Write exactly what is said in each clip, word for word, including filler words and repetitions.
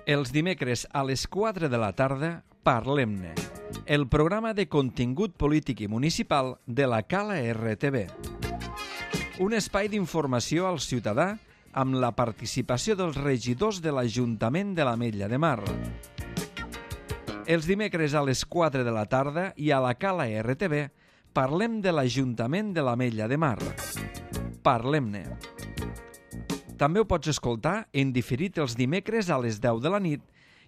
Els dimecres a les quatre de la tarda, Parlem-ne, el programa de contingut polític i municipal de la Cala R T V. Un espai d'informació al ciutadà amb la participació dels regidors de l'Ajuntament de l'Ametlla de Mar. Els dimecres a les quatre de la tarda i a la Cala R T V parlem de l'Ajuntament de l'Ametlla de Mar. Parlem-ne. També ho pots escoltar en diferit els dimecres a les deu de la nit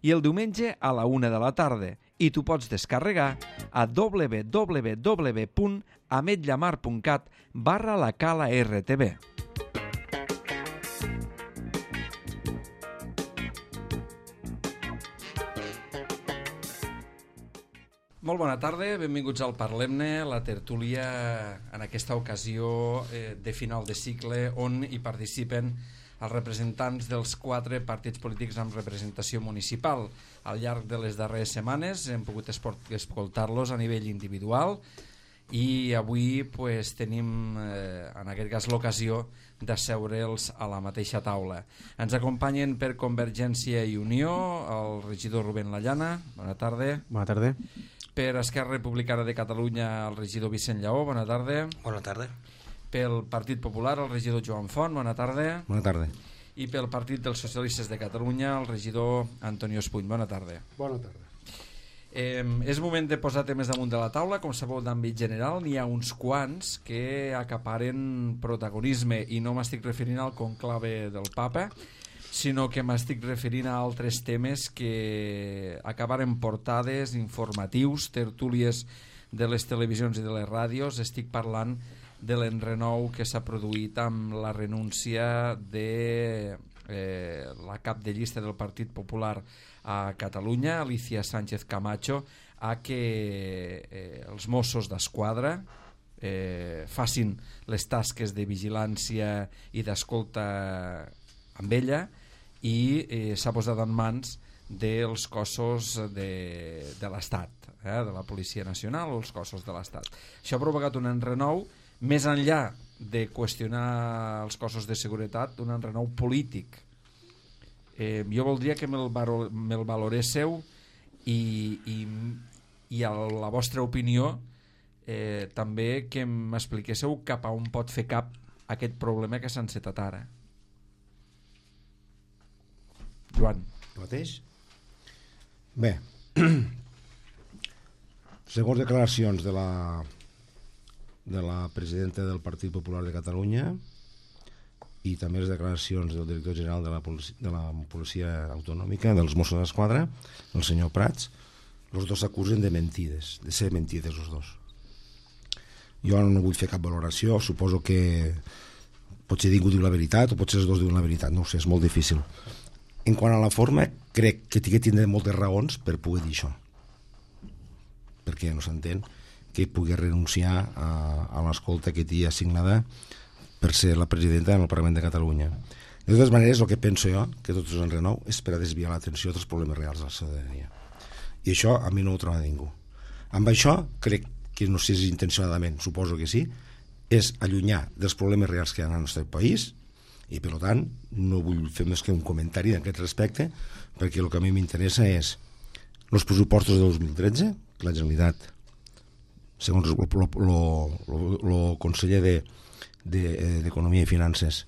i el diumenge a la una de la tarda, i t'ho pots descarregar a w w w punt ametllamar punt cat barra la Cala R T V. Molt bona tarda, benvinguts al Parlem-ne, la tertúlia en aquesta ocasió eh, de final de cicle on hi participen els representants dels quatre partits polítics amb representació municipal. Al llarg de les darreres setmanes hem pogut escoltar-los a nivell individual i avui pues, tenim eh, en aquest cas l'ocasió d'asseure'ls a la mateixa taula. Ens acompanyen per Convergència i Unió el regidor Rubén Lallana. Bona tarda. Bona tarda. Per Esquerra Republicana de Catalunya el regidor Vicent Lleó. Bona tarda. Bona tarda. Pel Partit Popular el regidor Joan Font. Bona tarda. Bona tarda. I pel Partit dels Socialistes de Catalunya el regidor Antonio Espuny. Bona tarda. Bona tarda. Eh, és moment de posar temes damunt de la taula. Com sabeu, d'àmbit general n'hi ha uns quants que acaparen protagonisme i no m'estic referint al conclave del Papa, sinó que m'estic referint a altres temes que acabaren portades, informatius, tertúlies de les televisions i de les ràdios. Estic parlant de l'enrenou que s'ha produït amb la renúncia de eh, la cap de llista del Partit Popular a Catalunya, Alicia Sánchez Camacho, a que eh, els Mossos d'Esquadra eh, facin les tasques de vigilància i d'escolta amb ella, i eh, s'ha posat en mans dels cossos de, de l'Estat, eh, de la Policia Nacional o els cossos de l'Estat. Això ha provocat un enrenou més enllà de qüestionar els cossos de seguretat, un enrenou polític. Eh, jo voldria que me'l me valoréssiu i, i, i a la vostra opinió eh, també que m'expliquéssiu cap a on pot fer cap aquest problema que s'ha encetat ara. Joan. El mateix? Bé, segons declaracions de la de la presidenta del Partit Popular de Catalunya i també les declaracions del director general de la Policia, de la Policia Autonòmica, dels Mossos d'Esquadra, el senyor Prats, els dos s'acusen de mentides, de ser mentides els dos. Jo no vull fer cap valoració, suposo que potser ningú diu la veritat o potser els dos diuen la veritat, no ho sé, és molt difícil. En quant a la forma, crec que tindré moltes raons per poder dir això, perquè no s'entén que pugui renunciar a, a l'escolta que té assignada per ser la presidenta del Parlament de Catalunya. De totes maneres, el que penso jo, que tot és un renou, és per a desviar l'atenció dels problemes reals de la ciutadania. I això a mi no ho troba ningú. Amb això, crec que no sé si intencionadament, suposo que sí, és allunyar dels problemes reals que hi ha al nostre país, i per tant no vull fer més que un comentari d'aquest respecte, perquè el que a mi m'interessa és els pressupostos de dos mil tretze, que la Generalitat, segons el conseller d'Economia de, de, i Finances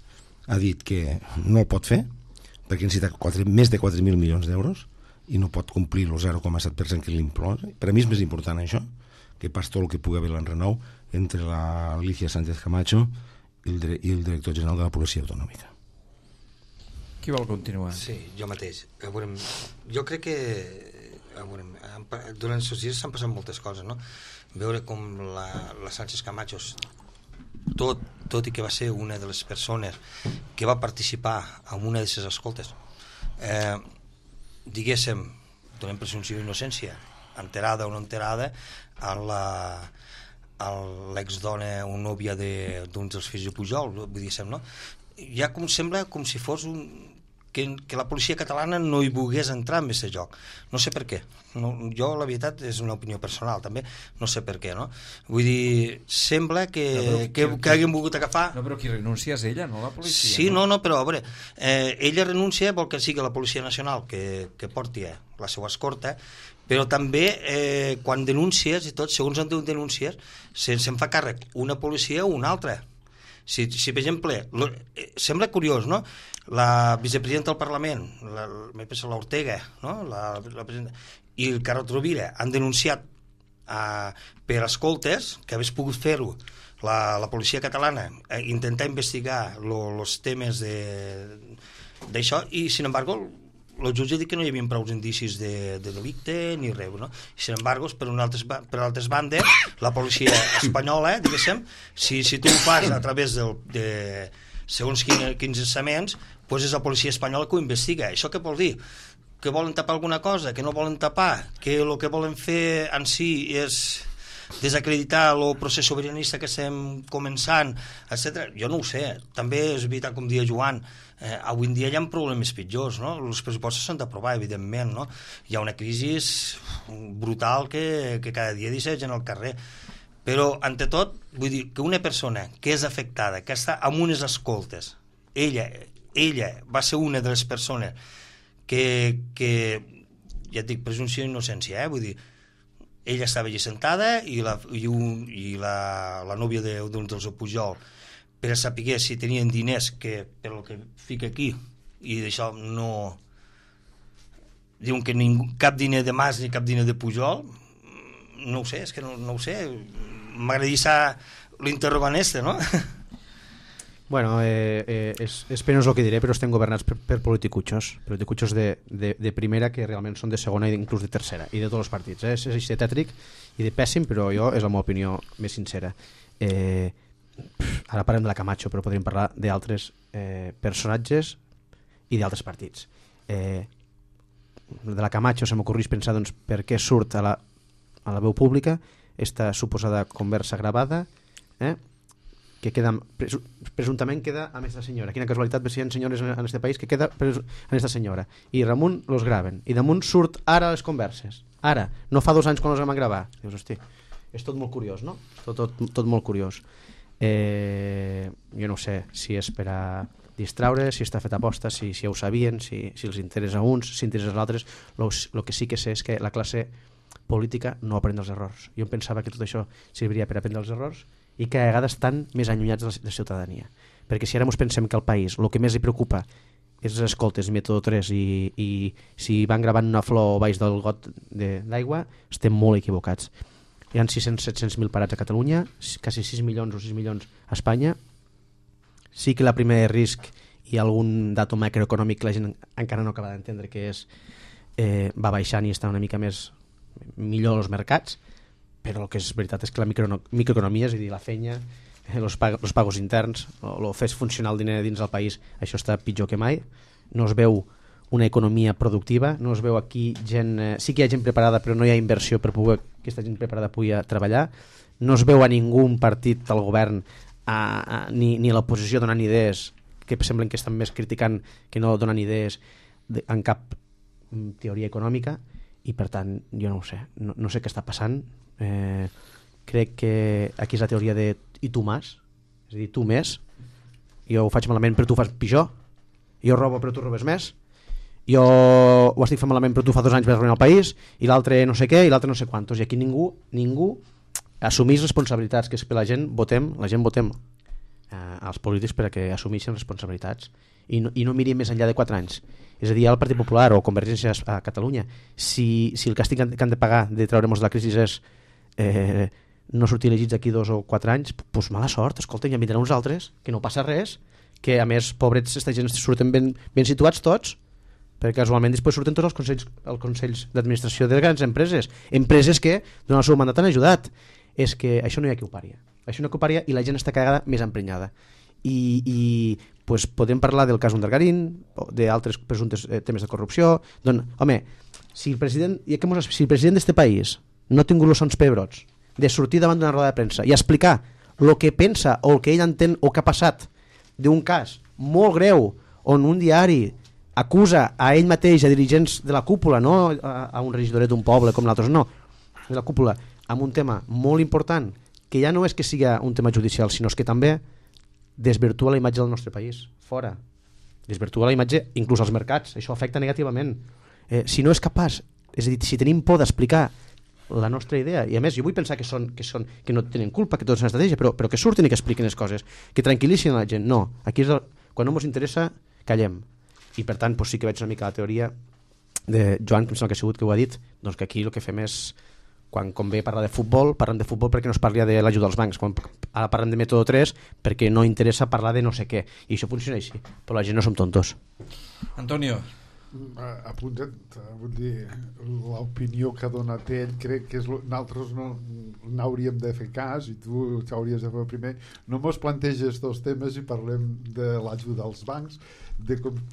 ha dit que no el pot fer perquè necessita quatre, més de quatre mil milions d'euros i no pot complir el zero coma set per cent que l'imposa. Per a mi és més important això que pas tot el que pugui haver l'enrenou entre la Alicia Sánchez Camacho i el, i el director general de la Policia Autonòmica. Qui vol continuar? Sí, jo mateix. Jo crec que durant aquests dies s'han passat moltes coses, no? Veure com la, la Sánchez Camacho, tot, tot i que va ser una de les persones que va participar en una de les escoltes, eh, diguéssim, donem presumpció d'innocència, enterada o no enterada, a la a l'exdona o nòvia d'un dels fills de Pujol, vull dir, no? Ja com sembla com si fos un, que, que la policia catalana no hi volgués entrar en aquest joc. No sé per què. No, jo, la veritat, és una opinió personal, també. No sé per què, no? Vull dir, sembla que, no, però, que, que, que haguem volgut agafar... No, però qui renuncia és ella, no la policia. Sí, no, no, però, a veure, eh, ella renuncia, vol que sigui la Policia Nacional que, que porti la seva escorta, però també eh, quan denúncies i tot, segons on denúncies, se'n se fa càrrec una policia o una altra. Si, si per exemple, lo, eh, sembla curiós, no? La vicepresidenta del Parlament, la, m'he pensat l'Ortega, no? La, la i el Carod Rovira han denunciat eh, per escoltes que hagués pogut fer-ho la, la policia catalana, eh, intentar investigar els temes d'això, i sin embargo el jutge ha dit que no hi havia prou indicis de, de delicte ni res, no? I sin embargo, per, una altres, per altres bandes, la policia espanyola, diguéssim, si, si tu ho fas a través del, de segons quins estaments, doncs és la policia espanyola que ho investiga. Això què vol dir? Que volen tapar alguna cosa, que no volen tapar, que el que volen fer en si és desacreditar el procés sobiranista que estem començant, etcètera. Jo no ho sé. També és veritat, com dia Joan, eh, avui en dia hi ha problemes pitjors, no? Els pressupostos s'han d'aprovar, evidentment, no? Hi ha una crisi brutal que, que cada dia deixa gent al carrer. Però, ante tot, vull dir que una persona que és afectada, que està amb unes escoltes, ella, ella va ser una de les persones que, que ja et dic, presumpció d'innocència, eh? Vull dir, ella estava allà sentada i la, i un, i la, la núvia de, d'un dels Pujol, per a saber si tenien diners, que per el que fica aquí, i d'això no... Diuen que ningú, cap diner de Mas ni cap diner de Pujol, no ho sé, és que no, no ho sé. M'agradaria saber l'interrogant este, no? Bueno, eh, eh, és, és penós el que diré, però estem governats per, per politicuchos, politicuchos de, de, de primera, que realment són de segona i inclús de tercera, i de tots els partits. Eh? És, és així de tètric i de pèssim, però jo és la meva opinió més sincera. Eh, ara parlem de la Camacho, però podríem parlar d'altres eh, personatges i d'altres partits. Eh, de la Camacho se m'ocorreix pensar, doncs, per què surt a la, a la veu pública esta suposada conversa gravada, eh? que queda, presumptament queda amb aquesta senyora. Quina casualitat ver si hi ha senyores en aquest país que queda amb aquesta senyora. I damunt los graven. I damunt surt ara les converses. Ara. No fa dos anys quan les vam gravar. Dius, hosti, és tot molt curiós, no? Tot, tot, tot molt curiós. Eh, jo no sé si és per a distraure, si està fet aposta, si, si ja ho sabien, si, si els interessa a uns, si interessa als altres. El que sí que sé és que la classe política no aprèn dels errors. Jo em pensava que tot això serviria per aprendre els errors i que a vegades estan més allunyats de la, de la ciutadania. Perquè si ara ens pensem que al país el que més li preocupa és les escoltes Método tres i, i si van gravant una flor baix del got d'aigua, estem molt equivocats. Hi ha sis-cents a set-cents mil parats a Catalunya, quasi sis milions o sis milions a Espanya. Sí que la primera de risc i algun dato macroeconòmic que la gent encara no acaba d'entendre, que és eh, va baixant i està una mica més millor als mercats, però el que és veritat és que la micro, microeconomia, és a dir, la feina, els pag los pagos interns, el fer funcionar el diner dins del país, això està pitjor que mai. No es veu una economia productiva, no es veu aquí gent... Eh, sí que hi ha gent preparada, però no hi ha inversió per poder que aquesta gent preparada pugui treballar. No es veu a ningú un partit del govern a, a, ni, ni a l'oposició donant idees, que semblen que estan més criticant que no donen idees de, en cap teoria econòmica, i per tant, jo no ho sé, no, no sé què està passant. Eh, crec que aquí és la teoria de i tu més, és a dir, tu més, jo ho faig malament però tu fas pitjor, jo robo però tu robes més, jo ho estic fent malament però tu fa dos anys vas arruïnar el país, i l'altre no sé què i l'altre no sé quantos, i aquí ningú ningú assumís responsabilitats, que és que la gent votem, la gent votem eh, als polítics per a que assumeixin responsabilitats i no, i no mirin més enllà de quatre anys. És a dir, el Partit Popular o Convergència a Catalunya, si, si el càstig que han de pagar de treure'ns de la crisi és eh, no sortir elegits d'aquí dos o quatre anys, doncs mala sort, escolta, ja vindran uns altres, que no passa res, que a més, pobrets, aquesta gent surten ben, ben situats tots, perquè casualment després surten tots els consells, els consells d'administració de grans empreses, empreses que durant el seu mandat han ajudat. És que això no hi ha qui ho paria. Això no hi ha qui ho paria i la gent està cagada més emprenyada. I, i pues, podem parlar del cas Undergarín, d'altres presumptes eh, temes de corrupció. Doncs, home, si el president, i que mos, si el president d'este país no ha tingut els sons pebrots de sortir davant d'una roda de premsa i explicar el que pensa o el que ell entén o que ha passat d'un cas molt greu on un diari acusa a ell mateix, a dirigents de la cúpula, no a, a un regidoret d'un poble com l'altre, no, de la cúpula, amb un tema molt important, que ja no és que siga un tema judicial, sinó que també desvirtua la imatge del nostre país, fora. Desvirtua la imatge inclús als mercats, això afecta negativament. Eh, si no és capaç, és a dir, si tenim por d'explicar la nostra idea, i a més jo vull pensar que són que, són, que no tenen culpa, que tot és una estratègia, però, però que surtin i que expliquen les coses, que tranquil·litzin la gent. No, aquí és el, quan no ens interessa, callem. I per tant doncs sí que veig una mica la teoria de Joan, que em sembla que ha sigut que ho ha dit, doncs que aquí el que fem és, quan convé parlar de futbol, parlem de futbol perquè no es parli de l'ajuda als bancs, quan ara parlem de mètode tres perquè no interessa parlar de no sé què, i això funciona així, però la gent no som tontos. Antonio. Apunta't, vull dir, l'opinió que ha donat ell, crec que és lo, nosaltres no n'hauríem de fer cas, i tu t'hauries de fer primer. No mos planteges dos temes i parlem de l'ajuda als bancs, de com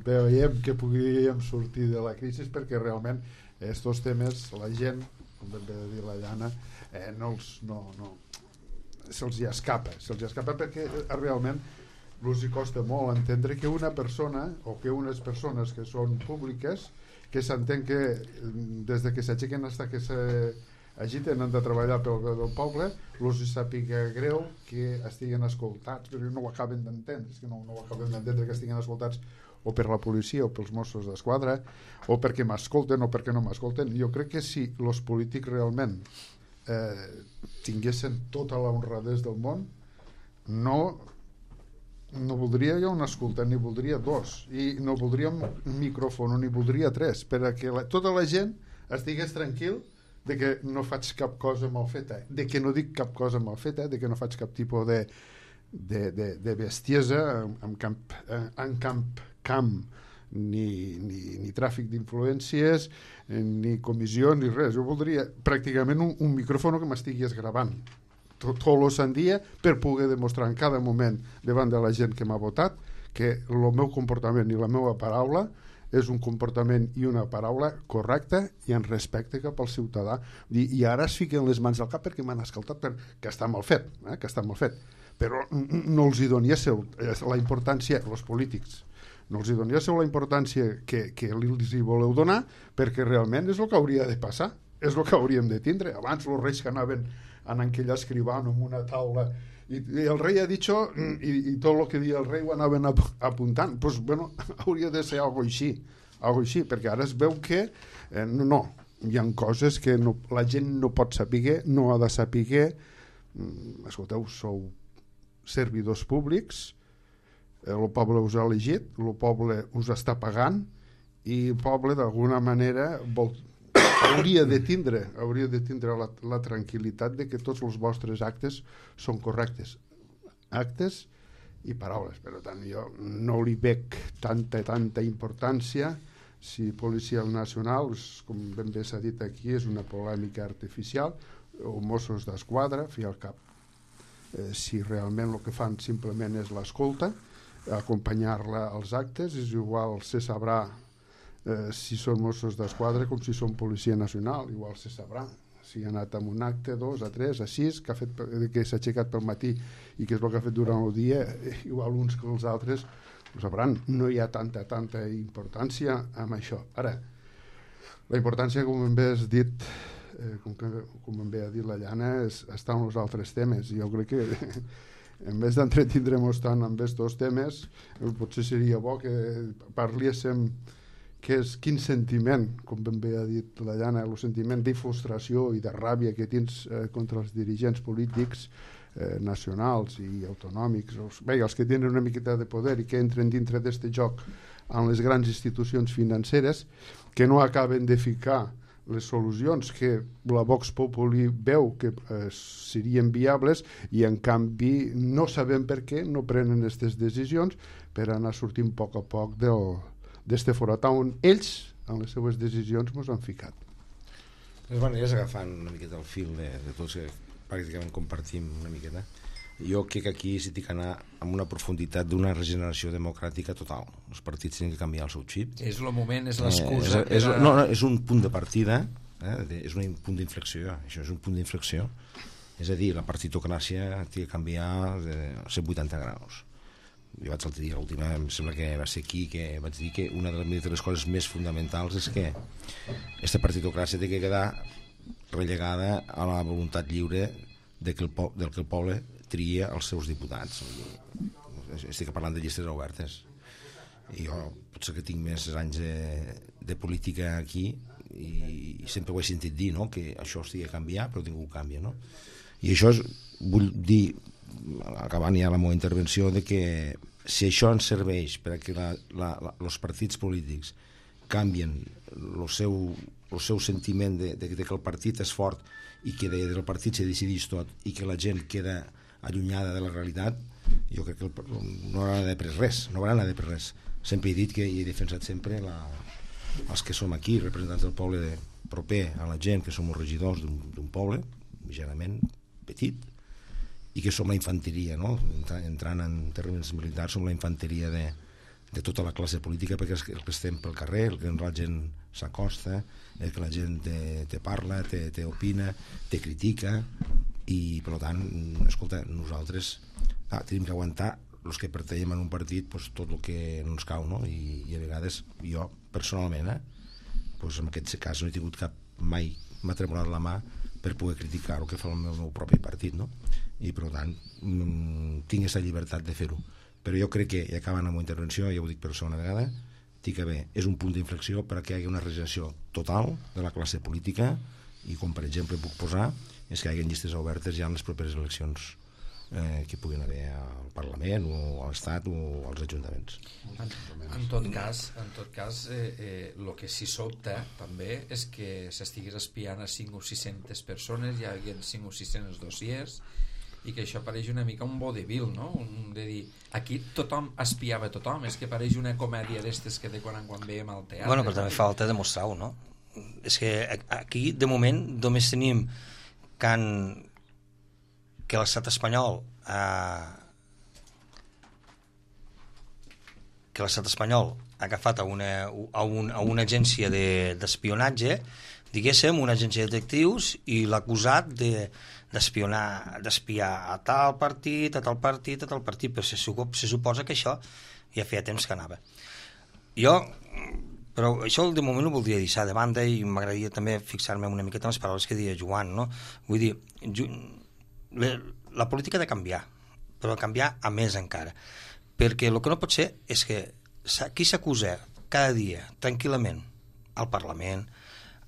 veiem que podríem sortir de la crisi, perquè realment estos temes la gent, com vam dir la Llana, eh, no els, no, no, se'ls hi escapa, se'ls hi escapa perquè realment els hi costa molt entendre que una persona o que unes persones que són públiques, que s'entén que des de que s'aixequen fins que s'agiten han de treballar pel bé del poble, els hi sàpiga greu que estiguen escoltats, però no ho acaben d'entendre, és que no, no ho acaben d'entendre que estiguin escoltats o per la policia o pels Mossos d'Esquadra o perquè m'escolten o perquè no m'escolten. Jo crec que si els polítics realment eh, tinguessin tota la honradesa del món, no no voldria jo un escoltant, ni voldria dos, i no voldria un micròfon, ni voldria tres, perquè la, tota la gent estigués tranquil de que no faig cap cosa mal feta, de que no dic cap cosa mal feta, de que no faig cap tipus de, de, de, de bestiesa en, en camp, en camp, camp ni, ni, ni tràfic d'influències, ni comissió, ni res. Jo voldria pràcticament un, un micròfon que m'estigués gravant tot, tot el sant dia per poder demostrar en cada moment davant de la gent que m'ha votat que el meu comportament i la meva paraula és un comportament i una paraula correcta i en respecte cap al ciutadà. I, i ara es fiquen les mans al cap perquè m'han escoltat, per, que està mal fet, eh? que està mal fet. Però no els hi donéssiu la importància, els polítics, no els hi donéssiu la importància que, que els hi voleu donar, perquè realment és el que hauria de passar, és el que hauríem de tindre. Abans els reis que anaven en aquell escrivant en una taula i, i el rei ha dit això i, i tot el que dia el rei ho anaven ap apuntant, doncs bueno, hauria de ser algo així, algo així, perquè ara es veu que eh, no, no, hi ha coses que no, la gent no pot saber, no ha de saber. mm, escolteu, sou servidors públics, eh, el poble us ha elegit, el poble us està pagant i el poble d'alguna manera vol hauria de tindre, hauria de tindre la, la tranquil·litat de que tots els vostres actes són correctes. Actes i paraules. Per tant, jo no li veig tanta, tanta importància si Policia Nacional, com ben bé s'ha dit aquí, és una polèmica artificial, o Mossos d'Esquadra, fi al cap. Eh, si realment el que fan simplement és l'escolta, acompanyar-la als actes, és igual, se sabrà Eh, si són Mossos d'Esquadra com si són Policia Nacional, igual se sabrà si ha anat amb un acte, dos, a tres, a sis que, ha fet, que s'ha aixecat pel matí i que és el que ha fet durant el dia, igual uns que els altres ho sabran. No hi ha tanta tanta importància amb això. Ara, la importància, com ben bé has dit, eh, com, que, com ben bé ha dit la Llana, és, està en els altres temes. Jo crec que en vez d'entretindre-nos tant amb aquests dos temes, potser seria bo que parléssim que és quin sentiment, com ben bé ha dit la Llana, el sentiment de frustració i de ràbia que tens eh, contra els dirigents polítics eh, nacionals i autonòmics, els, bé, els que tenen una miqueta de poder i que entren dintre d'aquest joc en les grans institucions financeres, que no acaben de ficar les solucions que la Vox Populi veu que eh, serien viables i en canvi no sabem per què no prenen aquestes decisions per anar sortint a poc a poc del d'este forat on ells, en les seues decisions, ens han ficat. De totes maneres, agafant una miqueta el fil de, de tots que pràcticament compartim una miqueta, jo crec que aquí s'hi ha d'anar amb una profunditat d'una regeneració democràtica total. Els partits tenen que canviar el seu xip. És el moment, és l'excusa. Eh, és, és, no, no, és un punt de partida, eh, de, és un punt d'inflexió, això és un punt d'inflexió. És a dir, la partitocràcia té que canviar de cent vuitanta graus. jo vaig l'altre dia, l'última, em sembla que va ser aquí, que vaig dir que una de les coses més fonamentals és que aquesta partitocràcia té que quedar relegada a la voluntat lliure de que el po del que el poble tria els seus diputats. Estic parlant de llistes obertes. I jo potser que tinc més anys de, de política aquí i, i sempre ho he sentit dir, no? Que això estigui a canviar, però ningú canvia, no? I això és, vull dir, acabant ja la meva intervenció, de que si això ens serveix perquè la, la, la, els partits polítics canvien el seu, el seu sentiment de, de, de que el partit és fort i que de, del partit se decideix tot i que la gent queda allunyada de la realitat, jo crec que el, no haurà de pres res, no haurà de pres res. Sempre he dit que he defensat sempre la, els que som aquí, representants del poble de, proper a la gent, que som els regidors d'un poble, generalment petit, i que som la infanteria, no? Entrant en termes militars, som la infanteria de, de tota la classe política, perquè és el que estem pel carrer, el que la gent s'acosta, el que la gent te, te parla, te, te opina, te critica, i per tant, escolta, nosaltres ah, tenim que aguantar els que pertanyem en un partit pues, tot el que no ens cau, no? I, i a vegades jo personalment eh, pues, en aquest cas no he tingut cap mai, m'ha tremolat la mà per poder criticar el que fa el meu, meu propi partit, no? I per tant mm, tinc aquesta llibertat de fer-ho, però jo crec que, i acabant la meva intervenció, ja ho dic per segona vegada, dic que bé, és un punt d'inflexió perquè hi hagi una regeneració total de la classe política, i com per exemple puc posar és que hi hagi llistes obertes ja en les properes eleccions eh, que puguin haver al Parlament o a l'Estat o als ajuntaments. En, en tot cas, en tot cas eh, eh, el que sí sobta també és que s'estigués espiant a cinc o sis-centes persones, hi ha cinc o sis-cents dossiers, i que això pareix una mica un vodevil, no? Un, de dir, aquí tothom espiava tothom, és que pareix una comèdia d'estes que de quan en quan veiem al teatre. Bueno, però també falta demostrar-ho, no? És que aquí de moment només tenim que, han, que l'estat espanyol eh, que l'estat espanyol ha agafat a una, a un, a una agència d'espionatge, de, diguéssim, una agència de detectius, i l'ha acusat de d'espionar, d'espiar a tal partit, a tal partit, a tal partit, però se, se suposa que això ja feia temps que anava. Jo, però això de moment ho voldria deixar de banda i m'agradaria també fixar-me una miqueta en les paraules que deia Joan, no? Vull dir, la, la política ha de canviar, però canviar a més encara, perquè el que no pot ser és que aquí s'acusa cada dia, tranquil·lament, al Parlament,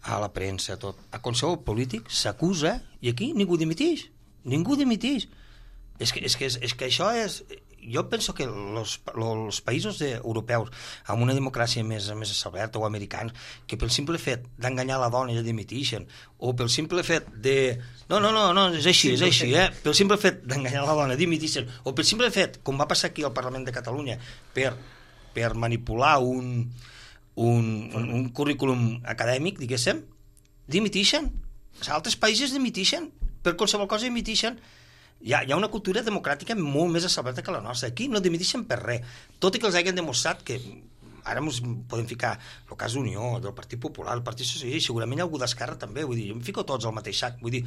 a la premsa, tot, a qualsevol polític s'acusa i aquí ningú dimiteix, ningú dimiteix. És que, és que, és que això és... Jo penso que els, els països de, europeus amb una democràcia més, més establerta o americans, que pel simple fet d'enganyar la dona ja dimiteixen, o pel simple fet de... No, no, no, no és així, és així, eh? Pel simple fet d'enganyar la dona dimiteixen, o pel simple fet, com va passar aquí al Parlament de Catalunya, per, per manipular un... Un, un, un currículum acadèmic, diguéssim, dimitixen. Els altres països dimitixen. Per qualsevol cosa dimitixen. Hi ha, hi ha una cultura democràtica molt més establerta que la nostra. Aquí no dimitixen per res. Tot i que els hagin demostrat que ara ens podem ficar el cas d'Unió, del Partit Popular, el Partit Socialista, i segurament hi ha algú d'Esquerra també. Vull dir, jo em fico tots al mateix sac. Vull dir,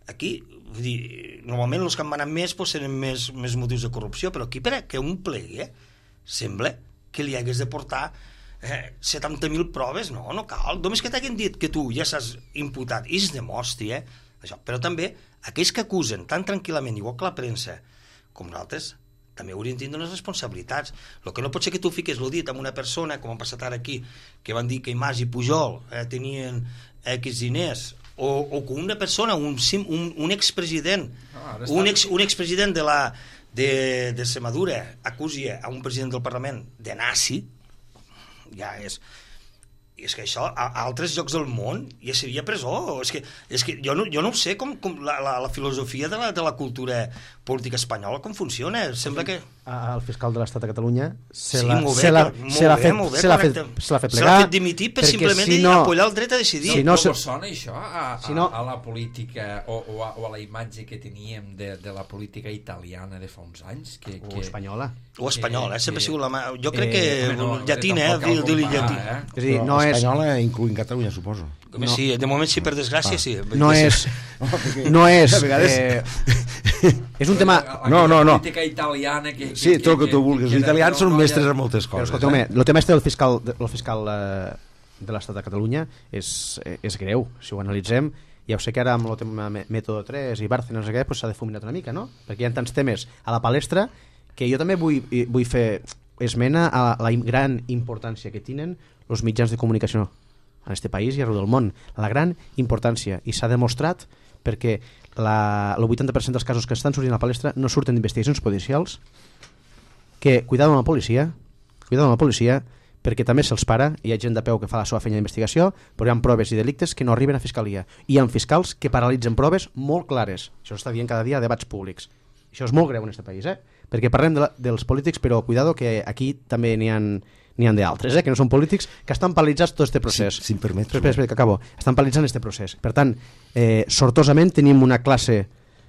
aquí, vull dir, normalment els que han manat més pues, tenen més, més motius de corrupció, però aquí per que un plegui eh, sembla que li hagués de portar Eh, setanta mil proves, no, no cal. Només que t'hagin dit que tu ja s'has imputat i es demostri, eh, això. Però també aquells que acusen tan tranquil·lament, igual que la premsa, com nosaltres, també haurien de tenir unes responsabilitats. El que no pot ser que tu fiques el dit amb una persona, com ha passat ara aquí, que van dir que Mas i Pujol eh, tenien X diners, o, o que una persona, un, un, un expresident, no, un, ex, un expresident de la de, de Semadura acusi a un president del Parlament de nazi, ja és... I és que això, a, a altres llocs del món ja seria presó. És que, és que jo, no, jo no ho sé com, com la, la, la filosofia de la, de la cultura política espanyola com funciona. Sembla que... El fiscal de l'Estat de Catalunya se sí, l'ha fet, fet, fet plegar. Se l'ha fet dimitir per simplement si no, apoyar el dret a decidir. Si no, no sona això a, a, si no, a la política o, o, a, o a la imatge que teníem de, de la política italiana de fa uns anys? Que, o que, espanyola. O espanyola, eh? Sempre ha sigut la mà... Jo crec que eh, no, llatina, eh? Dir-li llatí. Eh? És dir, no és... Espanyola incluint Catalunya, suposo. No. Sí, de moment sí, per desgràcia, ah. sí. No és... No és... Eh, És un tema... No, no, no. La política italiana... Que, sí, que, tot el que que, tu vulguis. Els italians són mestres en moltes Però, coses. escolteu, eh? el tema este del fiscal, del fiscal eh, de l'Estat de Catalunya és, és greu, si ho analitzem. Ja ho sé que ara amb el tema Mètode tres i Bárcenas s'ha pues, difuminat una mica, no? Perquè hi ha tants temes a la palestra que jo també vull, vull fer esmena a la gran importància que tenen els mitjans de comunicació en aquest país i arreu del món. La gran importància. I s'ha demostrat perquè la, el vuitanta per cent dels casos que estan sortint a la palestra no surten d'investigacions policials, que cuidado amb la policia, cuidado amb la policia, perquè també se'ls para, hi ha gent de peu que fa la seva feina d'investigació, però hi ha proves i delictes que no arriben a fiscalia. I hi ha fiscals que paralitzen proves molt clares. Això està dient cada dia a debats públics. Això és molt greu en aquest país, eh? Perquè parlem de la, dels polítics, però cuidado que aquí també n'hi ha n'hi ha d'altres, eh? Que no són polítics, que estan paralitzats tot aquest procés. Si, si em permets. Espera, espera, que acabo. Estan paralitzant aquest procés. Per tant, eh, sortosament tenim una classe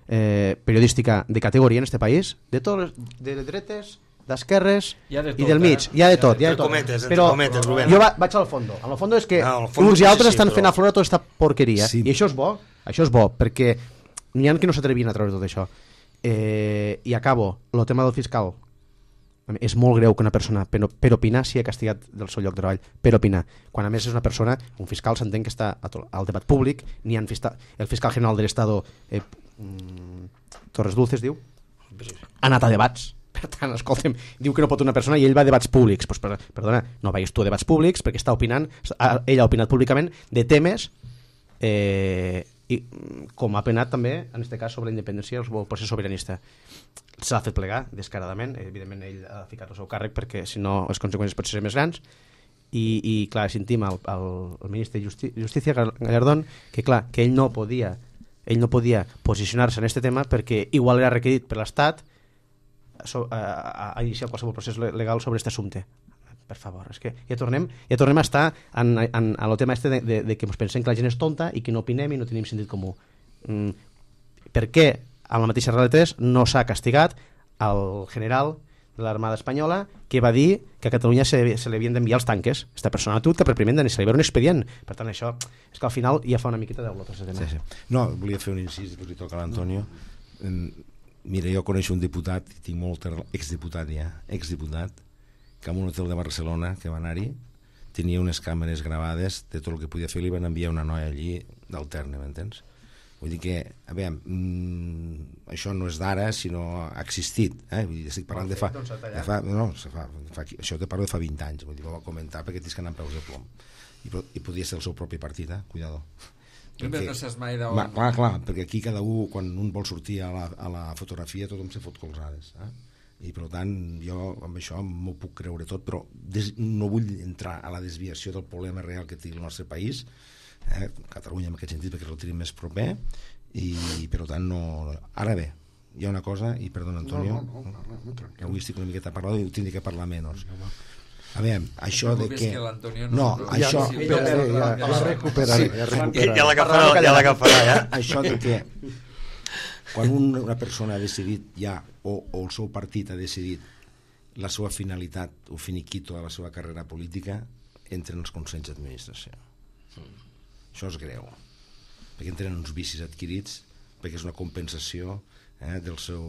eh, periodística de categoria en aquest país, de totes, de dretes, d'esquerres de i del mig, eh? hi ha de tot, hi ha de tot. Cometes, però cometes, Rubén. jo va, vaig al fondo. Al fondo és que no, fondo uns i altres sí, estan però... fent aflorar tota aquesta porqueria, sí. I això és bo, això és bo, perquè n'hi ha que no s'atrevien a treure tot això. Eh, I acabo, el tema del fiscal. És molt greu que una persona per, per opinar sigui castigat del seu lloc de treball, per opinar, quan a més és una persona, un fiscal s'entén que està al debat públic, n'hi ha fiscal, el fiscal general de l'Estado eh, Torres Dulces diu ha anat a debats, per tant, escolta'm, diu que no pot una persona i ell va a debats públics. Pues, per, perdona, no vagis tu a debats públics perquè està opinant, ell ha opinat públicament de temes eh, i com ha opinat també en aquest cas sobre la independència o el procés sobiranista. S'ha fet plegar descaradament, evidentment ell ha ficat el seu càrrec perquè si no les conseqüències pot ser més grans i, i clar, sentim el, el, el ministre de Justi Justícia Gallardón que clar, que ell no podia ell no podia posicionar-se en aquest tema perquè igual era requerit per l'Estat so, a, a iniciar qualsevol procés legal sobre aquest assumpte. Per favor, és que ja tornem, ja tornem a estar en, en, en el tema este de, de, de que ens pensem que la gent és tonta i que no opinem i no tenim sentit comú. Mm, per què amb la mateixa realitat no s'ha castigat el general de l'Armada Espanyola que va dir que a Catalunya se, se li havien d'enviar els tanques? Esta persona tu que per primer se li va un expedient. Per tant, això és que al final ja fa una miqueta de blotes. Sí, sí. No, volia fer un incís, després li toca a l'Antonio. Mira, jo coneixo un diputat, tinc molt exdiputat ja, exdiputat, que en un hotel de Barcelona, que va anar-hi, tenia unes càmeres gravades de tot el que podia fer, li van enviar una noia allí d'alterne, m'entens? Vull dir que, a veure, mmm, això no és d'ara, sinó ha existit, eh? Vull dir, estic parlant de fa... De fa no, fa, fa, això te parlo de fa vint anys, vull dir, ho va comentar perquè tens que anar amb peus de plom. I, i podia ser el seu propi partit, eh? Cuidado. Perquè, no saps mai d'on... Clar, clar, perquè aquí cada un, quan un vol sortir a la, a la fotografia, tothom se fot colzades, eh? I per tant jo amb això m'ho puc creure tot, però des, no vull entrar a la desviació del problema real que té el nostre país, eh, Catalunya en aquest sentit perquè el tenim més proper i per tant no... Ara bé, hi ha una cosa, i perdona Antonio, no, no, no, no, no, avui estic una miqueta parlant i tindré que parlar menys. A veure, això de que... que no, això... Ja, ja, ja, ja recuperaré, ja recuperaré. Ja l'agafarà, ja l'agafarà, ja. Això de que quan una persona ha decidit ja, o, o el seu partit ha decidit la seva finalitat o finiquito de la seva carrera política, entren els consells d'administració. Mm. Això és greu, perquè entren uns vicis adquirits, perquè és una compensació eh, del seu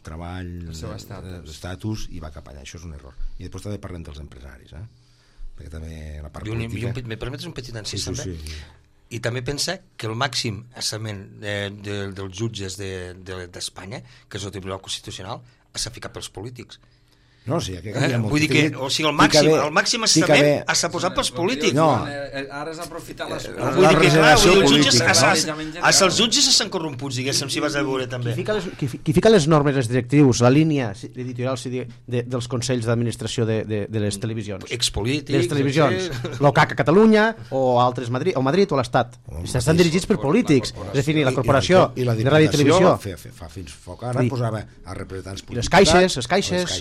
treball, el seu estatus. estatus, i va cap allà. Això és un error. I després també parlem dels empresaris, eh? Perquè també la part I un, política... I un, me permetes un petit encís, sí, també? sí, sí. I també pensa que el màxim assament de, de, dels jutges d'Espanya, de, de, que és el Tribunal Constitucional, s'ha ficat pels polítics. No, sí, que eh? Vull dir que, o sigui, el màxim, el màxim assament s'ha posat pels polítics. No. Ara és aprofitar les... Vull dir que, clar, vull dir, els jutges, política, els, els jutges s'han corromputs, diguéssim, si vas a veure també. Qui fica les, qui, qui fica les normes, les directrius, la línia editorial de, de, dels consells d'administració de, de, de les televisions? Expolítics. De les televisions. L'OCAC a Catalunya, o altres Madrid, o Madrid o l'Estat. Estan dirigits per polítics. És a dir, la corporació i, i, i de ràdio i televisió. Fa, fa fins foc ara posava a representants polítics. Les caixes, les caixes,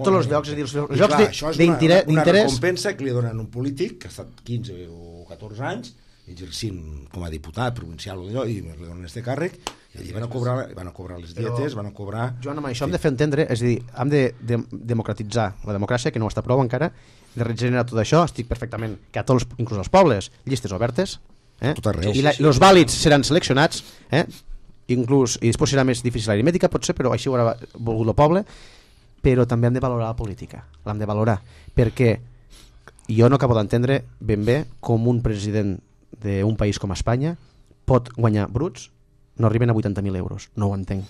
a tots els llocs, és a dir, els llocs de, això és d'interès... una, una recompensa que li donen a un polític que ha estat quinze o catorze anys exercint com a diputat provincial o d'allò, i li donen este càrrec i allí van a cobrar, van a cobrar les dietes, van a cobrar... Joan, amb això hem de fer entendre, és a dir, hem de, de democratitzar la democràcia, que no ho està prou encara, de regenerar tot això, estic perfectament, que a tots, inclús als pobles, llistes obertes, eh? Tot arreu. I la, els vàlids seran seleccionats, eh? inclús, i després serà més difícil l'aritmètica, potser, però així ho haurà volgut el poble, però també hem de valorar la política, l'hem de valorar, perquè jo no acabo d'entendre ben bé com un president d'un país com Espanya pot guanyar bruts, no arriben a vuitanta mil euros, no ho entenc.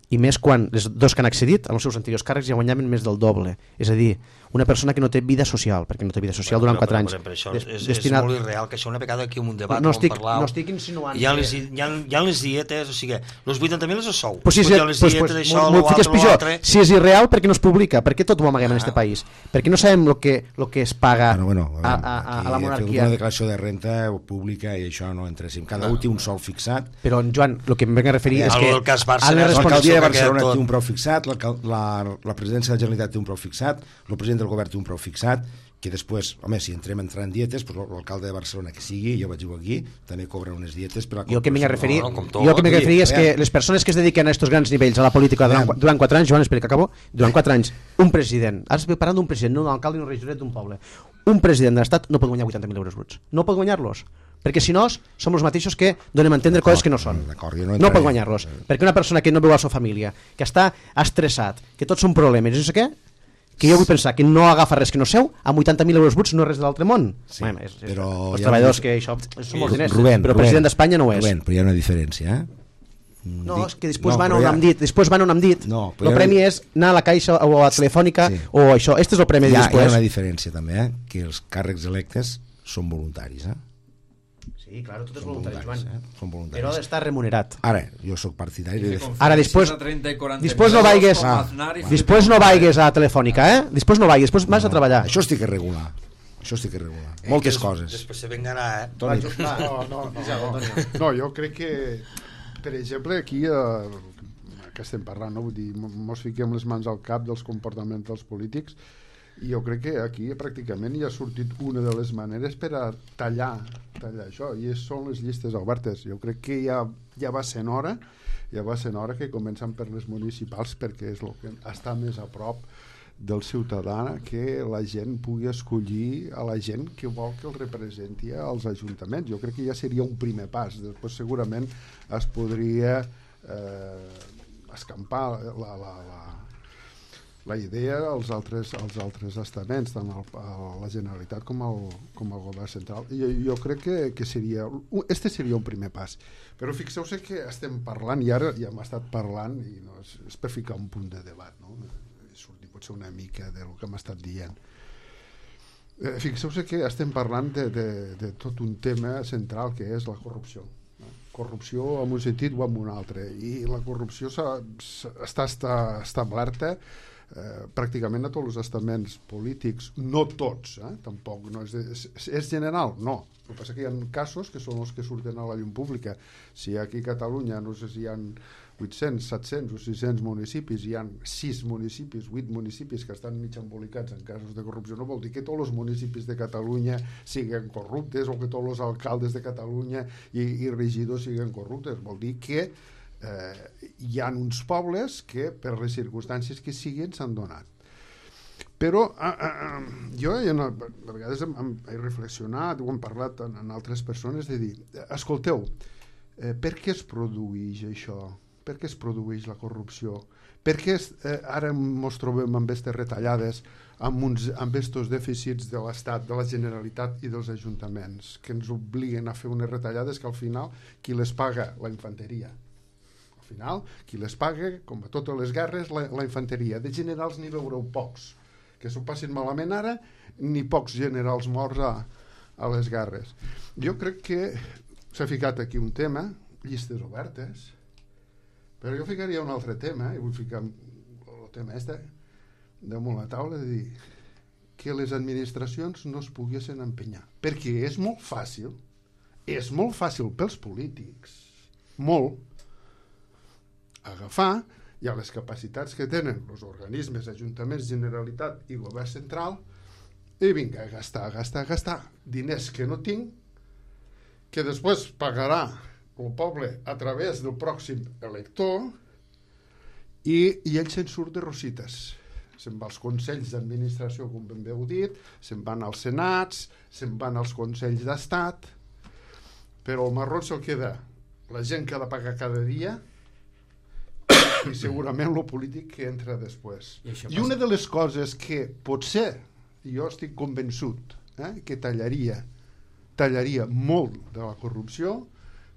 I més quan els dos que han accedit als seus anteriors càrrecs ja guanyaven més del doble. És a dir, una persona que no té vida social, perquè no té vida social bueno, durant quatre anys. Però, però, això des, és, destinat... és molt irreal, que això una vegada aquí en un debat no estic, parlau, no estic insinuant hi ha, que... les, hi, ha, hi ha les dietes, o sigui, els vuitanta mil és el sou, pues si és, hi ha les pues, dietes, pues, això, molt, molt, l'altre, pitjor. l'altre... Si és irreal, per què no es publica? Per què tot ho amaguem ah. en este país? Per què no sabem el que, lo que es paga bueno, bueno, a, a, a, a la monarquia? Una declaració de renta pública i això no entressim. Cada un té un sou fixat. Però, Joan, el que em venc a referir és que... L'alcaldia de Barcelona té un preu fixat, la, la presidència de la Generalitat té un preu fixat, el president del govern té un preu fixat, que després, home, si entrem a entrar en dietes, pues, l'alcalde de Barcelona que sigui, jo vaig dir aquí, també cobra unes dietes per a... Jo el que m'he referir, no, no, jo el que m'he referir és que les persones que es dediquen a aquests grans nivells a la política durant, durant quatre anys, Joan, espera que acabo, durant quatre anys, un president, ara estic parlant d'un president, no d'un alcalde ni un regidor d'un poble, un president de l'Estat no pot guanyar vuitanta mil euros bruts, no pot guanyar-los, perquè si no som els mateixos que donem a entendre coses que no són, no, no pot guanyar-los, perquè una persona que no veu la seva família, que està estressat, que tots són problemes, i no sé què, que jo vull pensar que no agafa res que no seu, amb vuitanta mil euros bruts no és res de l'altre món. Sí, bueno, és, és, però els ja treballadors no... que això són molts diners, Rubén, però el Rubén, president d'Espanya no ho és. Rubén, però hi ha una diferència, eh? No, és que després no, van on ja... hem dit, després van on hem dit. No, el premi és anar a la caixa o a la telefònica sí. o això. Este és el premi hi ha, després. Hi ha una diferència també, eh? Que els càrrecs electes són voluntaris, eh? Sí, clar, tot és voluntari, Joan. Eh? Són voluntaris. Però ha d'estar remunerat. Ara, jo sóc partidari de... Ara, després, després no vaigues ah, després no vaigues a Telefònica, eh? Després no vaigues, després vas no, a treballar. Això estic a regular. Això estic a regular. Eh, Moltes des, coses. Després se vengarà, eh? Toni. No, no, no, no. No, jo crec que, per exemple, aquí eh, que estem parlant, no? Vull dir, mos fiquem les mans al cap dels comportaments dels polítics. I jo crec que aquí pràcticament ja ha sortit una de les maneres per a tallar, tallar això, i són les llistes obertes. Jo crec que ja, ja va sent hora, ja va sent hora que comencen per les municipals, perquè és el que està més a prop del ciutadà, que la gent pugui escollir a la gent que vol que el representi als ajuntaments. Jo crec que ja seria un primer pas. Després segurament es podria eh, escampar la... la, la la idea als altres, als altres estaments, tant el, la Generalitat com el, com el govern central. I jo, jo crec que, que seria... Este seria un primer pas. Però fixeu-se que estem parlant, i ara ja hem estat parlant, i no, és, és per ficar un punt de debat, no? Sortir potser una mica del que hem estat dient. Eh, fixeu-se que estem parlant de, de, de tot un tema central que és la corrupció. No? Corrupció en un sentit o en un altre. I la corrupció s'ha, està, està establerta Eh, pràcticament a tots els estaments polítics, no tots, eh? Tampoc no és, és, és general, no. El que passa que hi ha casos que són els que surten a la llum pública. Si aquí a Catalunya no sé si hi ha vuit-cents, set-cents o sis-cents municipis, hi ha sis municipis, vuit municipis que estan mig embolicats en casos de corrupció, no vol dir que tots els municipis de Catalunya siguin corruptes o que tots els alcaldes de Catalunya i, i regidors siguin corruptes, vol dir que Eh, hi ha uns pobles que per les circumstàncies que siguin s'han donat. Però eh, eh, jo a vegades hem, he reflexionat o hem parlat en, en altres persones de dir, escolteu, eh, per què es produeix això? Per què es produeix la corrupció? Per què eh, ara ens trobem amb aquestes retallades, amb, uns, amb estos dèficits de l'Estat, de la Generalitat i dels ajuntaments, que ens obliguen a fer unes retallades que al final qui les paga? La infanteria. Al final, qui les paga, com a totes les guerres, la, la infanteria. De generals n'hi veureu pocs. Que s'ho passin malament ara, ni pocs generals morts a, a les guerres. Jo crec que s'ha ficat aquí un tema, llistes obertes, però jo ficaria un altre tema, i vull ficar el tema este damunt la taula, de dir que les administracions no es poguessin empenyar. Perquè és molt fàcil, és molt fàcil pels polítics, molt, agafar i a les capacitats que tenen els organismes, ajuntaments, Generalitat i govern central i vinga, a gastar, a gastar, a gastar diners que no tinc, que després pagarà el poble a través del pròxim elector i, i ell se'n surt de rosites. Se'n va als consells d'administració, com ben bé heu dit, se'n van als senats, se'n van als consells d'estat, però el marró se'l queda la gent que ha de pagar cada dia i segurament el polític que entra després. I, I una de les coses que potser, jo estic convençut, eh, que tallaria, tallaria molt de la corrupció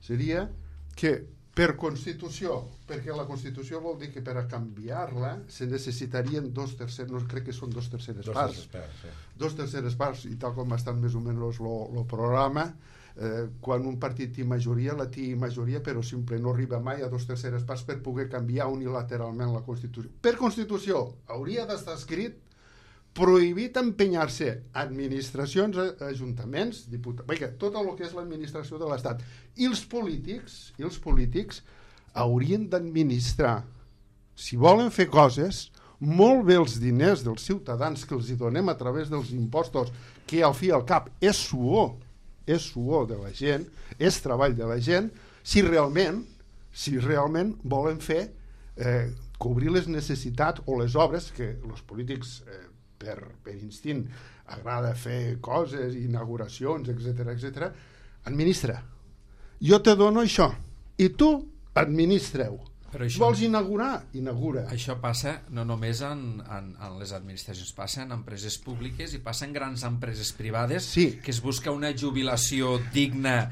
seria que per Constitució, perquè la Constitució vol dir que per a canviar-la se necessitarien dos terceres, no crec que són dos terceres dos parts, parts sí. dos terceres parts, i tal com estan més o menys el programa, eh, quan un partit té majoria, la té majoria, però simple no arriba mai a dos terceres parts per poder canviar unilateralment la Constitució. Per Constitució hauria d'estar escrit prohibit empenyar-se administracions, ajuntaments, diputats, perquè tot el que és l'administració de l'Estat. I els polítics, i els polítics haurien d'administrar, si volen fer coses, molt bé els diners dels ciutadans que els hi donem a través dels impostos, que al fi i al cap és suor, és suor de la gent, és treball de la gent, si realment, si realment volen fer eh, cobrir les necessitats o les obres que els polítics eh, Per, per instint agrada fer coses, inauguracions, etc etc. Administra. Jo te dono això i tu administreu. Però això, vols inaugurar? Inaugura. Això passa no només en, en, en les administracions, passa en empreses públiques i passa en grans empreses privades, sí. Que es busca una jubilació digna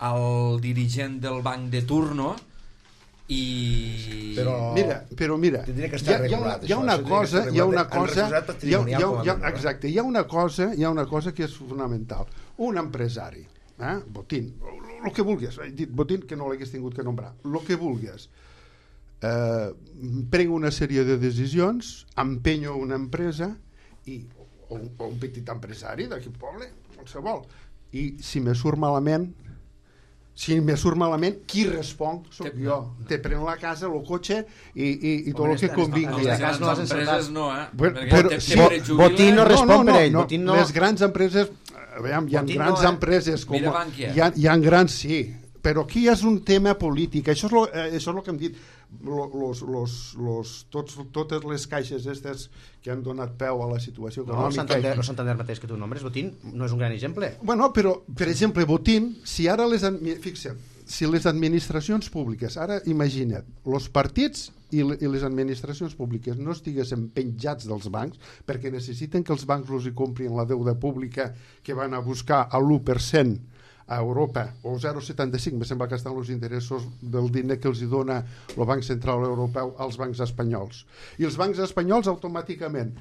al dirigent del banc de turno i... Però mira, però mira, hi ha, hi ha, hi ha una cosa, hi ha una cosa, hi ha, hi ha, hi ha, exacte, hi ha una cosa, hi ha una cosa que és fonamental. Un empresari, eh, Botín, el que vulguis, he dit Botín que no l'hagués tingut que nombrar, el que vulguis, eh, prenc una sèrie de decisions, empenyo una empresa i, o, un, o un petit empresari d'aquí poble, qualsevol, i si me surt malament, si me surt malament, qui respon? Soc jo. No. Te pren la casa, el cotxe i, i, i tot el que convingui. Les grans no empreses no, eh? Bueno, però, te, sí, te Botín no respon no, no, no, per ell. No, Botín no... Les grans empreses, veiem, hi ha Botín grans no, eh? empreses com... Mira Bankia. Hi ha, hi ha grans, sí, però aquí és un tema polític. Això és lo, eh, això és el que hem dit. Los, los, los, tots, totes les caixes estes que han donat peu a la situació econòmica. No, el Santander, el Santander mateix que tu nombres, Botín, no és un gran exemple. Bueno, però, per exemple, Botín, si ara les... Fixa't, si les administracions públiques, ara imagina't, els partits i les administracions públiques no estiguessin penjats dels bancs perquè necessiten que els bancs els hi comprin la deuda pública que van a buscar a l'u per cent a Europa, o zero coma setanta cinc, me sembla que estan els interessos del diner que els hi dona el Banc Central Europeu als bancs espanyols. I els bancs espanyols automàticament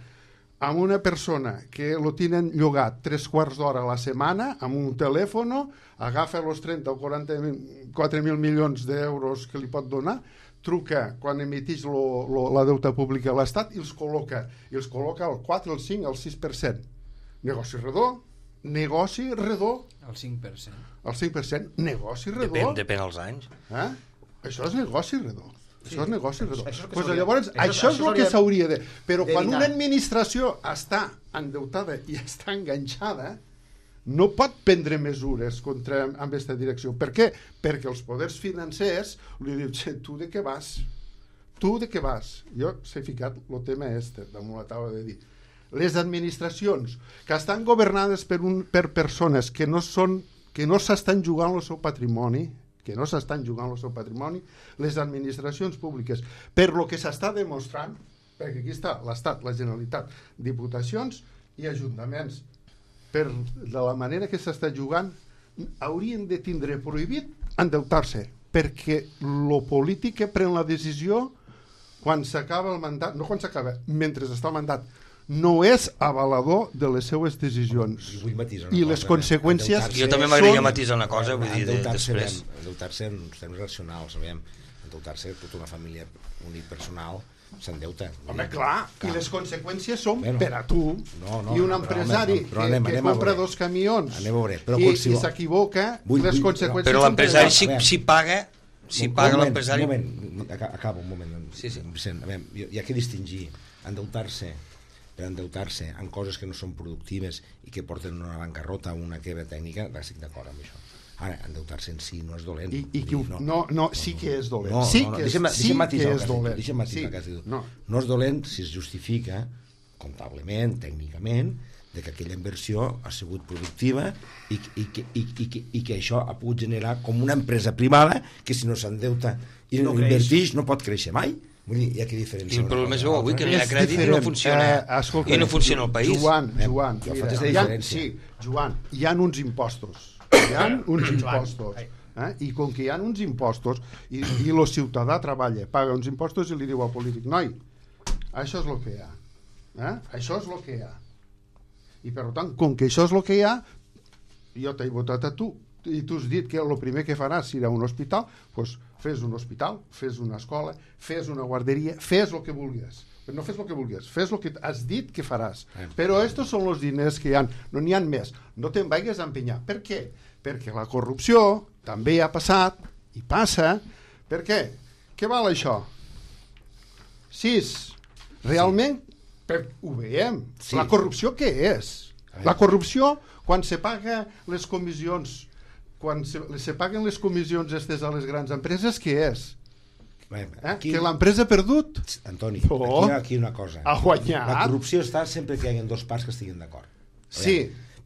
amb una persona que lo tenen llogat tres quarts d'hora a la setmana, amb un telèfon, agafa els trenta o quaranta-quatre mil milions d'euros que li pot donar, truca quan emitix lo, lo, la deuta pública a l'Estat i els col·loca. I els col·loca al quatre, al cinc, al sis per cent. Negoci redó, negoci redó. El cinc per cent. El cinc per cent, negoci redó. Depèn, depèn els anys. Eh? Això és negoci redó. Sí. Això és negoci redó. Això, això, pues llavors, això, això és el que s'hauria de... Però quan una administració està endeutada i està enganxada, no pot prendre mesures contra, amb aquesta direcció. Per què? Perquè els poders financers li diuen, tu de què vas? Tu de què vas? Jo s'he ficat el tema este, damunt la taula de dir. Les administracions que estan governades per, un, per persones que no són, que no s'estan jugant el seu patrimoni, que no s'estan jugant el seu patrimoni, les administracions públiques, per lo que s'està demostrant, perquè aquí està l'Estat, la Generalitat, diputacions i ajuntaments, per de la manera que s'està jugant, haurien de tindre prohibit endeutar-se, perquè lo polític que pren la decisió quan s'acaba el mandat, no quan s'acaba, mentre està el mandat, no és avalador de les seues decisions i les conseqüències jo també m'agradaria matisar una cosa, vull dir, després endeutar-se en termes racionals, endeutar-se tota una família unipersonal s'endeuta. Home, clar, i les conseqüències són per a tu i un empresari que compra dos camions i s'equivoca, les conseqüències però l'empresari si paga si paga l'empresari un moment, acaba un moment Vicent, hi ha que distingir endeutar-se per endeutar-se en coses que no són productives i que porten una bancarrota o una quebra tècnica, estic d'acord amb això. Ara, endeutar-se en si no és dolent. I, i qui, no, no, no, sí que és dolent. No, sí no, no, que és, deixa'm, sí deixa'm que és dolent. Deixa'm matisar sí, que has dit. No. no és dolent si es justifica comptablement, tècnicament, de que aquella inversió ha sigut productiva i, i, i, i, i, i que això ha pogut generar com una empresa privada que si no s'endeuta i no, no invertix no pot créixer mai. Vull dir, hi ha que diferència. I el problema és avui que no hi ha crèdit i no funciona, eh, escolta, i no funciona el país. Joan, Joan, eh, mira, hi ha, sí, Joan, hi ha uns impostos. Hi ha uns impostos. Eh? I com que hi ha uns impostos i, i el ciutadà treballa, paga uns impostos i li diu al polític, noi, això és el que hi ha. Eh? Això és el que hi ha. I per tant, com que això és el que hi ha, jo t'he votat a tu i tu has dit que el primer que faràs serà un hospital, doncs fes un hospital, fes una escola, fes una guarderia, fes el que vulguis. No fes el que vulguis, fes el que has dit que faràs. Però estos són els diners que hi ha, no n'hi ha més. No te'n vagis a empenyar. Per què? Perquè la corrupció també ha passat i passa. Per què? Què val això? Sis. Realment, per, ho veiem. Sí. La corrupció què és? La corrupció, quan se paga les comissions, quan se, se paguen les comissions estes a les grans empreses, què és? Bé, aquí, eh? Que l'empresa ha perdut? Antoni, oh, aquí hi ha aquí una cosa. Ha guanyat. La corrupció està sempre que hi ha dos parts que estiguin d'acord. Sí.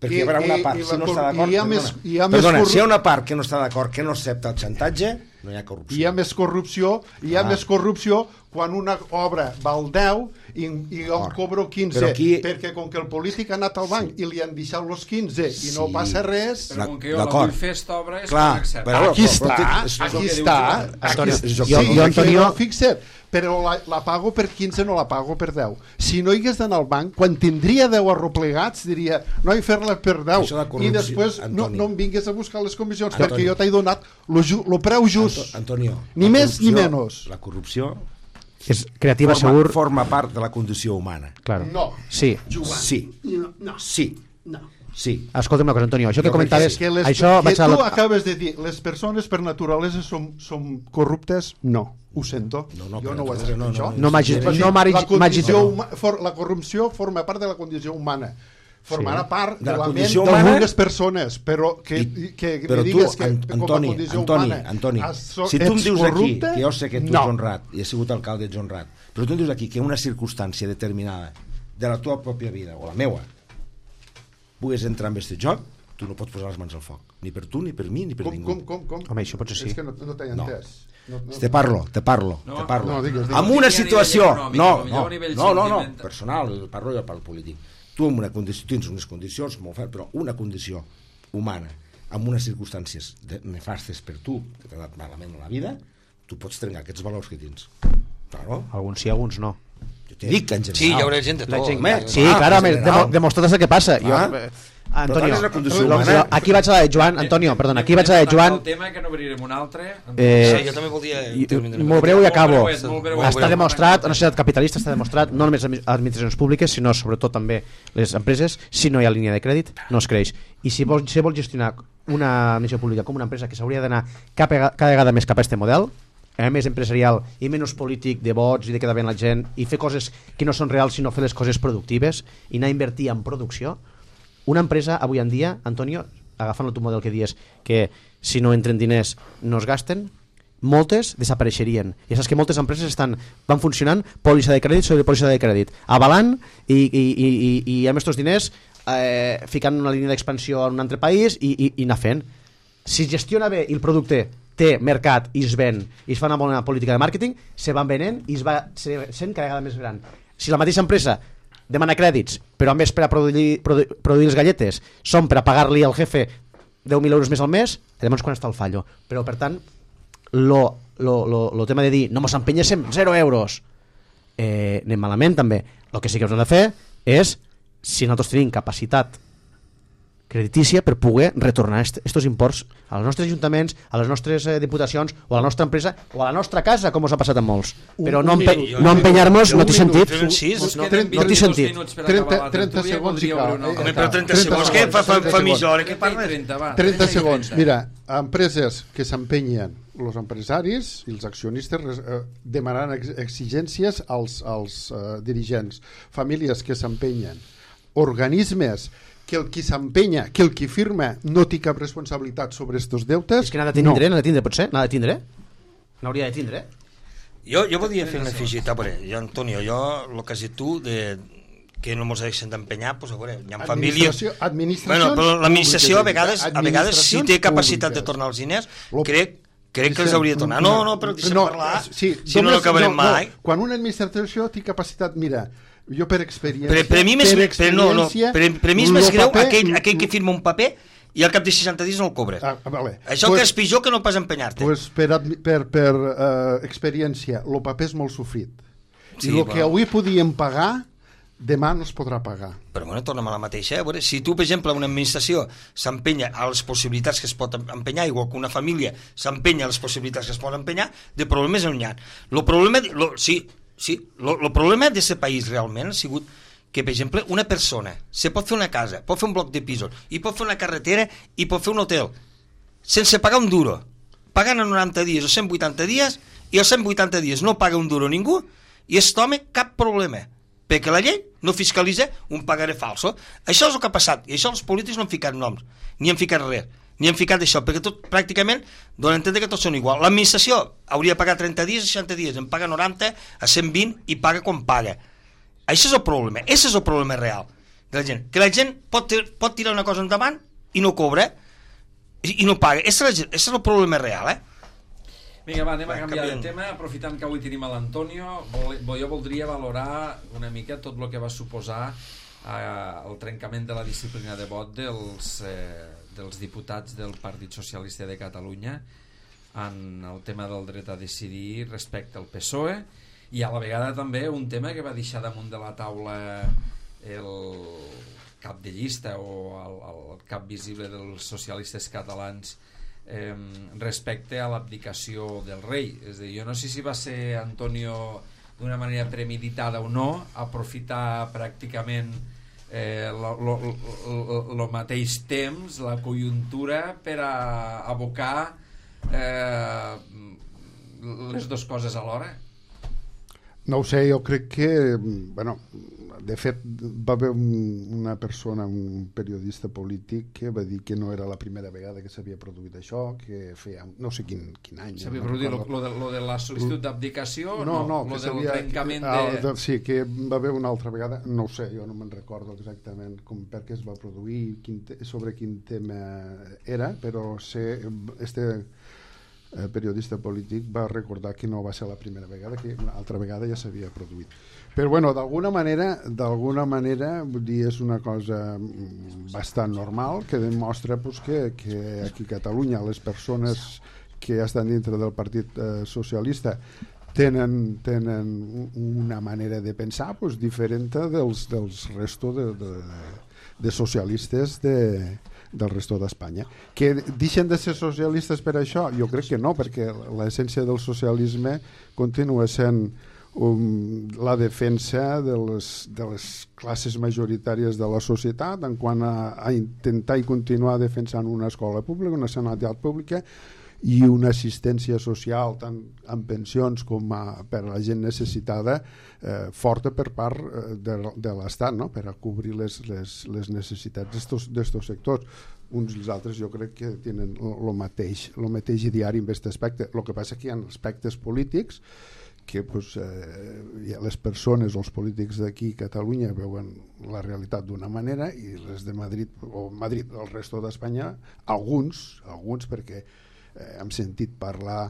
Perquè hi haurà una part, I, si no està d'acord... Hi ha més, hi ha perdona, més si hi ha una part que no està d'acord, que no accepta el xantatge, no hi ha corrupció. Hi ha més corrupció, hi ha ah. més corrupció quan una obra val deu i, i jo cobro quinze, aquí... perquè com que el polític ha anat al banc sí. i li han deixat els quinze i sí. no passa res... Però com que jo la vull fer esta obra és clar, que l'accepta. Però, aquí està, és, aquí està. Aquí, sí, jo, jo, Antonio... Fixa't, però la, la pago per quinze, no la pago per deu. Si no hi hagués d'anar al banc, quan tindria deu arroplegats, diria, no hi fer-la per deu. I després no, no em vingues a buscar les comissions, Antonio, perquè jo t'he donat el preu just. Antonio, ni més ni menys. La corrupció és creativa, forma, segur. Forma part de la condició humana. Claro. No. Sí. Sí. No. Sí. No. Sí. Escolta'm una cosa, Antonio, això que no, comentaves... Que, les, això que vaig tu a la... acabes de dir, les persones per naturalesa són, són corruptes? No. Ho sento. No, no, jo no ho he dit, no, això. No, no, no, no la, condició huma, for, la corrupció forma part de la condició humana. Formarà sí. part de, de la, la ment d'algunes persones, però que, I, que però me digues tu, que Antoni, com a condició Antoni, humana Antoni, so, si tu em dius corrupte, aquí, que jo sé que tu no. ets honrat i has sigut alcalde, ets honrat, però tu em dius aquí que una circumstància determinada de la teva pròpia vida, o la meua, pugues entrar en aquest joc, tu no pots posar les mans al foc, ni per tu, ni per mi, ni per com, ningú. Com, com, com? Home, això potser sí. És que no, no t'he entès. No. No, no, te parlo, te parlo, no, te parlo. No, digues, digues. Amb una situació, no, no, no, no, no, no, personal, parlo jo pel polític. Tu amb una condició, tens unes condicions molt fetes, però una condició humana, amb unes circumstàncies nefastes per tu, que t'ha anat malament a la vida, tu pots trencar aquests valors que tens. Claro. Alguns sí, alguns no. Jo t'he dit que en general... Sí, hi haurà gent de tot. Gent, sí, ah, clar, home, demostrat el que passa. Jo, ah. Antonio, humana, aquí vaig a la de Joan, Antonio, perdona, aquí vaig a la de Joan. El tema que no obrirem un altre. Eh, sí, jo també volia... Molt breu i acabo. Molt breuet, molt breuet. Està demostrat, una societat capitalista està demostrat, no només les administracions públiques, sinó sobretot també les empreses, si no hi ha línia de crèdit, no es creix. I si vol, si vol gestionar una administració pública com una empresa que s'hauria d'anar cada vegada més cap a aquest model, eh, més empresarial i menys polític de vots i de quedar bé la gent i fer coses que no són reals sinó fer les coses productives i anar a invertir en producció. Una empresa avui en dia, Antonio, agafant el teu model que dius que si no entren diners no es gasten, moltes desapareixerien. I saps que moltes empreses estan, van funcionant pòlissa de crèdit sobre pòlissa de crèdit, avalant i, i, i, i, i amb aquests diners eh, ficant una línia d'expansió en un altre país i, i, i anar fent. Si gestiona bé i el producte té mercat i es ven i es fa una bona política de màrqueting, se van venent i es va sent cada vegada més gran. Si la mateixa empresa demana crèdits, però a més per a produir, produ produir les galletes són per a pagar-li al jefe deu mil euros més al mes, llavors quan està el fallo. Però per tant, lo, lo, lo, lo tema de dir no mos empenyéssim, zero euros, eh, anem malament també. El que sí que hem de fer és, si nosaltres tenim capacitat creditícia per poder retornar aquests imports als nostres ajuntaments, a les nostres eh, diputacions o a la nostra empresa o a la nostra casa, com us ha passat a molts. Però no, empe no empenyar-nos no té sentit. No té sentit. trenta segons i cal. Home, però trenta segons, què fa, fa, fa mitja hora? Què parles? trenta segons. Mira, empreses que s'empenyen, els empresaris i els accionistes eh, demanaran ex exigències als, als eh, dirigents, famílies que s'empenyen, organismes que el qui s'empenya, que el qui firma no té cap responsabilitat sobre estos deutes. És que n'ha de tindre, no. n'ha de tindre, potser? N'ha de tindre? N'hauria de tindre? Jo, jo volia fer una afegit, a veure, jo, Antonio, jo, el que has dit tu, de, que no ens deixen d'empenyar, doncs a veure, hi ha famílies... Administracions bueno, però l'administració a vegades, a vegades si té capacitat públiques. de tornar els diners, Lo... crec, crec que els hauria de tornar. No, no, però deixa'm no, parlar, sí, si no, no acabarem no, mai. No. Quan una administració té capacitat, mira, jo per experiència... Per, per, mi més, per, per, no, no, per, per mi és més greu paper, aquell, aquell que firma un paper i al cap de seixanta dies no el cobres. Ah, vale. Això pues, que és pitjor que no pas empenyar-te. Pues per, per, per uh, experiència, el paper és molt sofrit. I el sí, que avui podíem pagar, demà no es podrà pagar. Però bueno, tornem a la mateixa. Eh? Veure, si tu, per exemple, una administració s'empenya a les possibilitats que es pot empenyar, igual que una família s'empenya a les possibilitats que es pot empenyar, de problemes no n'hi ha. El problema, lo, sí, sí, lo, lo problema d'aquest país realment ha sigut que, per exemple, una persona se pot fer una casa, pot fer un bloc de pisos, i pot fer una carretera i pot fer un hotel, sense pagar un duro, pagant a noranta dies o cent vuitanta dies, i als cent vuitanta dies no paga un duro ningú, i aquest home cap problema, perquè la llei no fiscalitza un pagaré falso. Això és el que ha passat, i això els polítics no han ficat noms, ni han ficat res, ni han ficat això, perquè tot pràcticament donen a entendre que tots són igual. L'administració hauria de pagar trenta dies, seixanta dies, en paga noranta, a cent vint i paga quan paga. Això és el problema, això és el problema real de la gent, que la gent pot, pot tirar una cosa endavant i no cobra i, i no paga. Això és el problema real, eh? Vinga, va, anem a canviar de tema, aprofitant que avui tenim a l'Antonio. Jo voldria valorar una mica tot el que va suposar eh, el trencament de la disciplina de vot dels, eh, dels diputats del Partit Socialista de Catalunya en el tema del dret a decidir respecte al P S O E, i a la vegada també un tema que va deixar damunt de la taula el cap de llista o el, el cap visible dels socialistes catalans eh, respecte a l'abdicació del rei. És a dir, jo no sé si va ser Antonio d'una manera premeditada o no, aprofitar pràcticament eh, el mateix temps, la conjuntura, per a abocar eh, les dues coses alhora. No ho sé, jo crec que, bueno, de fet va haver un, una persona, un periodista polític que va dir que no era la primera vegada que s'havia produït això, que feia no sé quin, quin any. S'havia produït no lo, lo, de, lo de la sol·licitud d'abdicació? No, no, no que del trencament de... Ah, de... Sí, que va haver una altra vegada, no ho sé, jo no me'n recordo exactament com per què es va produir, quin te... sobre quin tema era, però sé, este... el periodista polític va recordar que no va ser la primera vegada, que una altra vegada ja s'havia produït. Però bueno, d'alguna manera, d'alguna manera, vull dir, és una cosa bastant normal que demostra pues, que, que aquí a Catalunya les persones que estan dintre del Partit eh, Socialista tenen, tenen una manera de pensar pues, diferent dels, dels restos de, de, de socialistes de del resto d'Espanya. Que deixen de ser socialistes per això? Jo crec que no, perquè l'essència del socialisme continua sent um, la defensa de les, de les classes majoritàries de la societat en quant a, a intentar i continuar defensant una escola pública, una sanitat pública i una assistència social tant en pensions com a, per a la gent necessitada eh, forta per part eh, de, de l'Estat, no? Per a cobrir les, les, les necessitats d'aquests sectors. Uns i els altres jo crec que tenen el mateix, lo mateix diari en aquest aspecte. El que passa que hi ha aspectes polítics que pues, eh, les persones o els polítics d'aquí a Catalunya veuen la realitat d'una manera i les de Madrid o Madrid, el resto d'Espanya, alguns, alguns perquè Eh, hem sentit parlar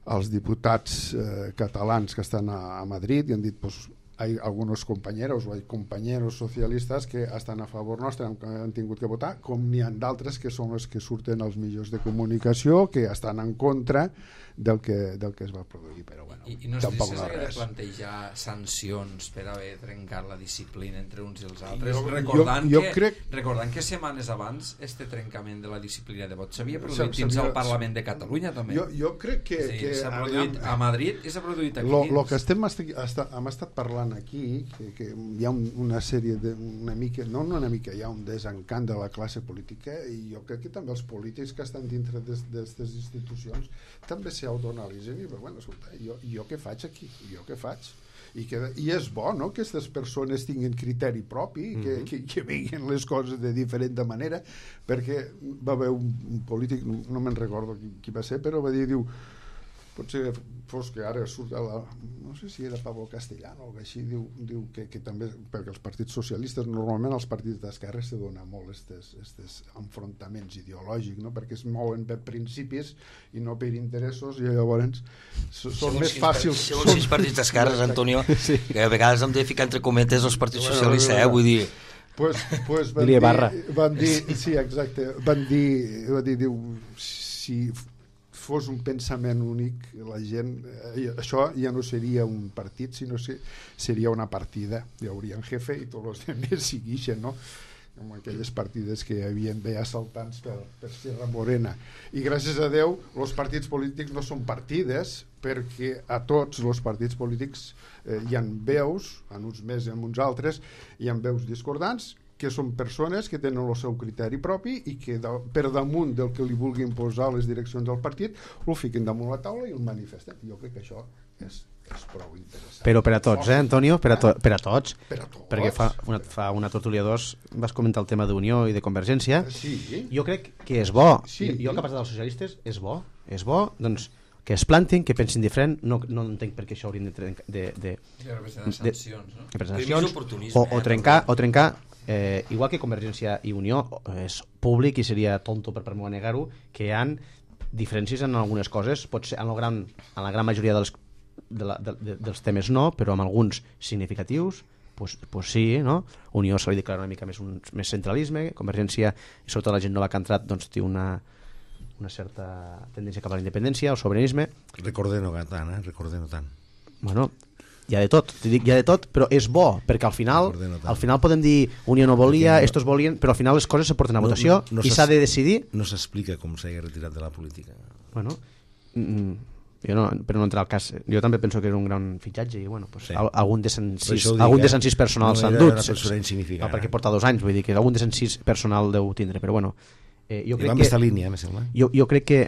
als diputats eh, catalans que estan a, a Madrid i han dit pues, hay algunos compañeros o hay compañeros socialistas que estan a favor nostre, han, han tingut que votar, com n'hi ha d'altres que són els que surten als mitjans de comunicació que estan en contra del que, del que es va produir, però bueno, I, i no tampoc no res. De plantejar sancions per haver trencat la disciplina entre uns i els altres, jo, recordant, jo, jo que, crec... recordant que setmanes abans este trencament de la disciplina de vot s'havia produït dins el Parlament de Catalunya també. Jo, jo crec que... Sí, que s'ha produït a Madrid i s'ha produït aquí lo, dins. Lo que estem, est, hem estat parlant aquí, que, que hi ha un, una sèrie de, una mica, no una mica, hi ha un desencant de la classe política i jo crec que també els polítics que estan dintre d'aquestes institucions també s'autoanalitzen i bueno, escolta, jo, jo què faig aquí? Jo què faig? I, que, i és bo, no?, que aquestes persones tinguin criteri propi, mm-hmm. que, que, que veien les coses de diferent manera, perquè va haver un, un polític, no, no me'n recordo qui, qui va ser, però va dir, diu, potser fos que ara surt a la, no sé si era Pablo Castellano o així, diu, diu que, que també, perquè els partits socialistes, normalment els partits d'esquerra se dona molt estes enfrontaments ideològics, no? Perquè es mouen per principis i no per interessos, i llavors són més fàcils. Segons sis partits d'esquerres, Antonio, sí. Que a vegades hem de ficar entre cometes els partits socialistes, eh? Vull dir... Pues, pues van, dir, van dir, sí, exacte, van dir, van dir, diu, si fos un pensament únic, la gent, eh, això ja no seria un partit, sinó que seria una partida. Hi hauria un jefe i tots els altres segueixen, no? Com aquelles partides que hi havia de assaltants per, per Sierra Morena. I gràcies a Déu, els partits polítics no són partides, perquè a tots els partits polítics eh, hi ha veus, en uns més i en uns altres, hi ha veus discordants, que són persones que tenen el seu criteri propi i que de, per damunt del que li vulguin posar les direccions del partit ho fiquen damunt la taula i el manifesten. Jo crec que això és, és prou interessant. Però per a tots, eh, Antonio? Per a, to per a tots. Per a tots. Perquè fa una, fa una tertúlia dos vas comentar el tema d'Unió i de Convergència. Sí. Jo crec que és bo. Sí. Jo, jo que he passat dels socialistes, és bo. És bo, doncs, que es plantin, que pensin diferent. No, no entenc per què això haurien de... de, de, de, de sancions, no? De sancions, o, o trencar... O trencar Eh, igual que Convergència i Unió és públic i seria tonto per part meva negar-ho, que hi ha diferències en algunes coses, pot ser en la gran, en la gran majoria dels, de la, de, de, dels temes no, però amb alguns significatius pues, pues sí, no? Unió se li declara una mica més, un, més centralisme, Convergència i sobretot la gent nova que ha entrat doncs, té una, una certa tendència cap a la independència, el sobiranisme. Recordem-ho tant, eh? Recordem-ho tant. Bueno, hi ha de tot, t'hi dic, hi ha de tot, però és bo, perquè al final al final podem dir Unió no volia, no, estos volien, però al final les coses se porten a votació no, no, no i s'ha de decidir. No s'explica com s'ha retirat de la política. Bueno, mm, jo no, però no entra al cas. Jo també penso que era un gran fitxatge i bueno, pues, sí. algun de cent-sis algun de cent-sis personal s'han dut, no, perquè porta dos anys, vull dir que algun de cent-sis personal deu tindre, però bueno, eh, jo crec que línia, jo, jo crec que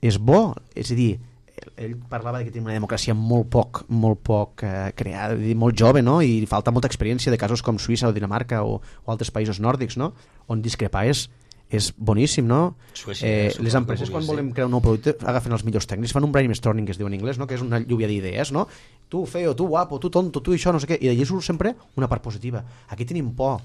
és bo, és a dir, ell parlava de que tenim una democràcia molt poc, molt poc eh, creada, molt jove, no? I falta molta experiència de casos com Suïssa o Dinamarca o, o altres països nòrdics, no? On discrepar és, és boníssim, no? Suècia, eh, les empreses quan volen crear un nou producte agafen els millors tècnics, fan un brainstorming que es diu en anglès, no? Que és una lluvia d'idees, no? Tu feo, tu guapo, tu tonto, tu això, no sé què, i d'allí surt sempre una part positiva. Aquí tenim por,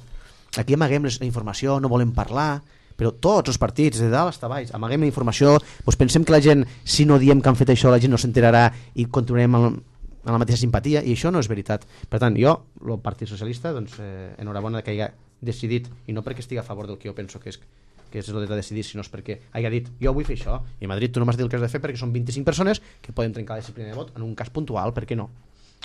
aquí amaguem la informació, no volem parlar, però tots els partits, de dalt fins a baix, amaguem la informació, doncs pensem que la gent, si no diem que han fet això, la gent no s'enterarà i continuarem amb, amb la mateixa simpatia, i això no és veritat. Per tant, jo, el Partit Socialista, doncs, eh, enhorabona que hagi decidit, i no perquè estigui a favor del que jo penso que és, que és el dret a decidir, sinó perquè hagi dit, jo vull fer això, i a Madrid tu no m'has dit el que has de fer perquè són vint-i-cinc persones que poden trencar la disciplina de vot en un cas puntual, per què no?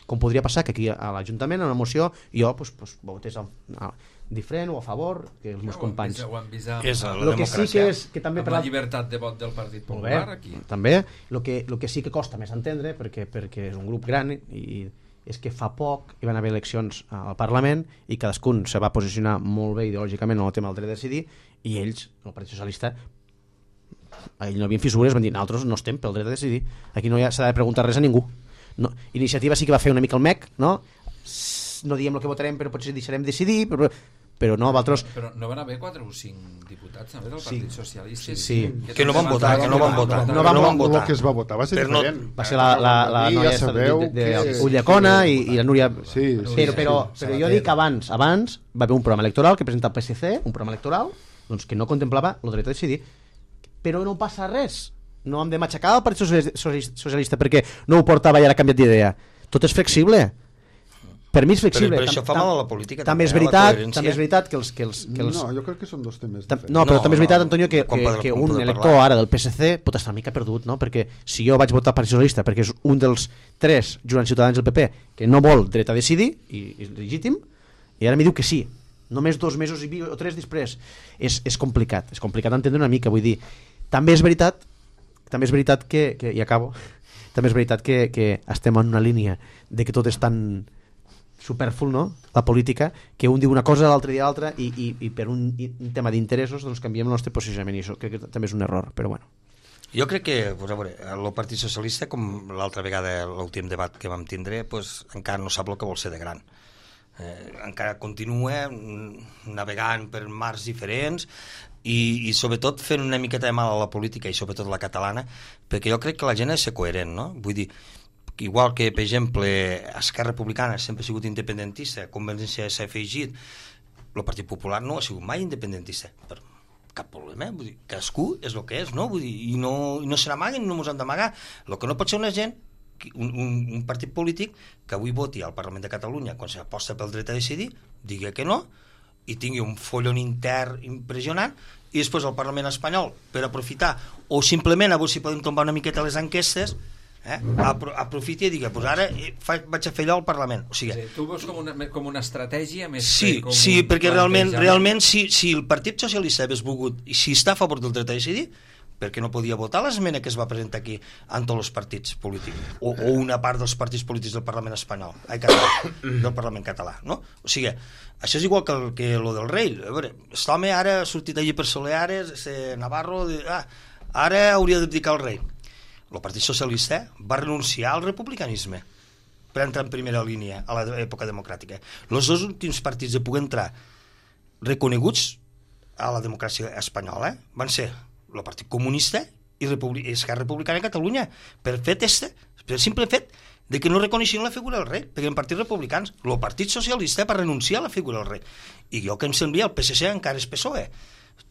Com podria passar que aquí a l'Ajuntament, en una moció, jo pues, pues, votés a, a, diferent o a favor que els meus companys. Ho han vist amb, és la lo que sí que és que també amb la llibertat de vot del Partit Popular aquí. També, el que, lo que sí que costa més entendre, perquè, perquè és un grup gran, i és que fa poc hi van haver eleccions al Parlament i cadascun se va posicionar molt bé ideològicament en el tema del dret a decidir, i ells, el Partit Socialista, ells no havien fissures, van dir, nosaltres no estem pel dret a decidir, aquí no s'ha de preguntar res a ningú. No, Iniciativa sí que va fer una mica el mec, no? No diem el que votarem, però potser deixarem decidir, però, però no, vosaltres... Però, però no van haver quatre o cinc diputats també del Partit sí. Socialista? Sí, sí. Que, que no van votar, que no van votar. No van, no van votar. El que es va votar va ser però diferent. No, va ser la, la, la noia ja de, de, de, de Ullacona i, i la Núria... Sí, sí, però, però, però jo dic abans, abans va haver un programa electoral que presenta el P S C, un programa electoral doncs, que no contemplava el dret a decidir, però no passa res. No hem de matxacar el Partit Socialista perquè no ho portava i ara ha canviat d'idea. Tot és flexible. Per mi és flexible. Però, però això fa mal a la política. També és veritat, també és veritat que els, que els, que els... No, jo crec que són dos temes diferents. No, però no, també és veritat, Antonio, que, que, que un elector ara del P S C pot estar una mica perdut, no? Perquè si jo vaig votar Partit Socialista perquè és un dels tres jurants ciutadans del P P que no vol dret a decidir, i és legítim, i ara m'hi diu que sí, només dos mesos i o tres després, és, és complicat, és complicat d'entendre una mica, vull dir, també és veritat, també és veritat que, que i acabo, també és veritat que, que estem en una línia de que tot és tan superflu, no?, la política, que un diu una cosa, l'altre dia l'altra, i, i, i per un, un tema d'interessos doncs canviem el nostre posicionament, i això crec que també és un error, però bueno. Jo crec que, pues, a veure, el Partit Socialista, com l'altra vegada l'últim debat que vam tindre, pues, encara no sap el que vol ser de gran. Eh, encara continua navegant per mars diferents i, i sobretot fent una miqueta de mal a la política i sobretot la catalana, perquè jo crec que la gent ha de ser coherent, no? Vull dir, igual que, per exemple, Esquerra Republicana sempre ha sigut independentista, Convergència s'ha afegit, el Partit Popular no ha sigut mai independentista, per cap problema, vull dir, cadascú és el que és, no? Vull dir, i no, i no se n'amaguen, no ens han d'amagar. El que no pot ser una gent, un, un, un partit polític que avui voti al Parlament de Catalunya quan s'aposta pel dret a decidir, digui que no, i tingui un follon intern impressionant, i després el Parlament espanyol, per aprofitar, o simplement a veure si podem tombar una miqueta les enquestes, eh? Apro aprofiti i digui, pues ara fa, vaig a fer allò al Parlament. O sigui, sí, tu veus com una, com una estratègia més sí, que com sí, un perquè realment, realment si, si el Partit Socialista hagués volgut, i si està a favor del dret a decidir, perquè no podia votar l'esmena que es va presentar aquí en tots els partits polítics, o, o una part dels partits polítics del Parlament espanyol, ai, català, del Parlament català, no? O sigui, això és igual que, el, que lo del rei. A veure, aquest home ara ha sortit allí per Soleares, Navarro, de, ah, ara hauria d'abdicar el rei. El Partit Socialista va renunciar al republicanisme per entrar en primera línia a l'època democràtica. Els dos últims partits de poder entrar reconeguts a la democràcia espanyola van ser el Partit Comunista i Esquerra Republicana de Catalunya, per fet este, per simple fet de que no reconeixien la figura del rei, perquè en partits republicans el Partit Socialista va renunciar a la figura del rei, i jo que em semblia el P S C encara és P S O E,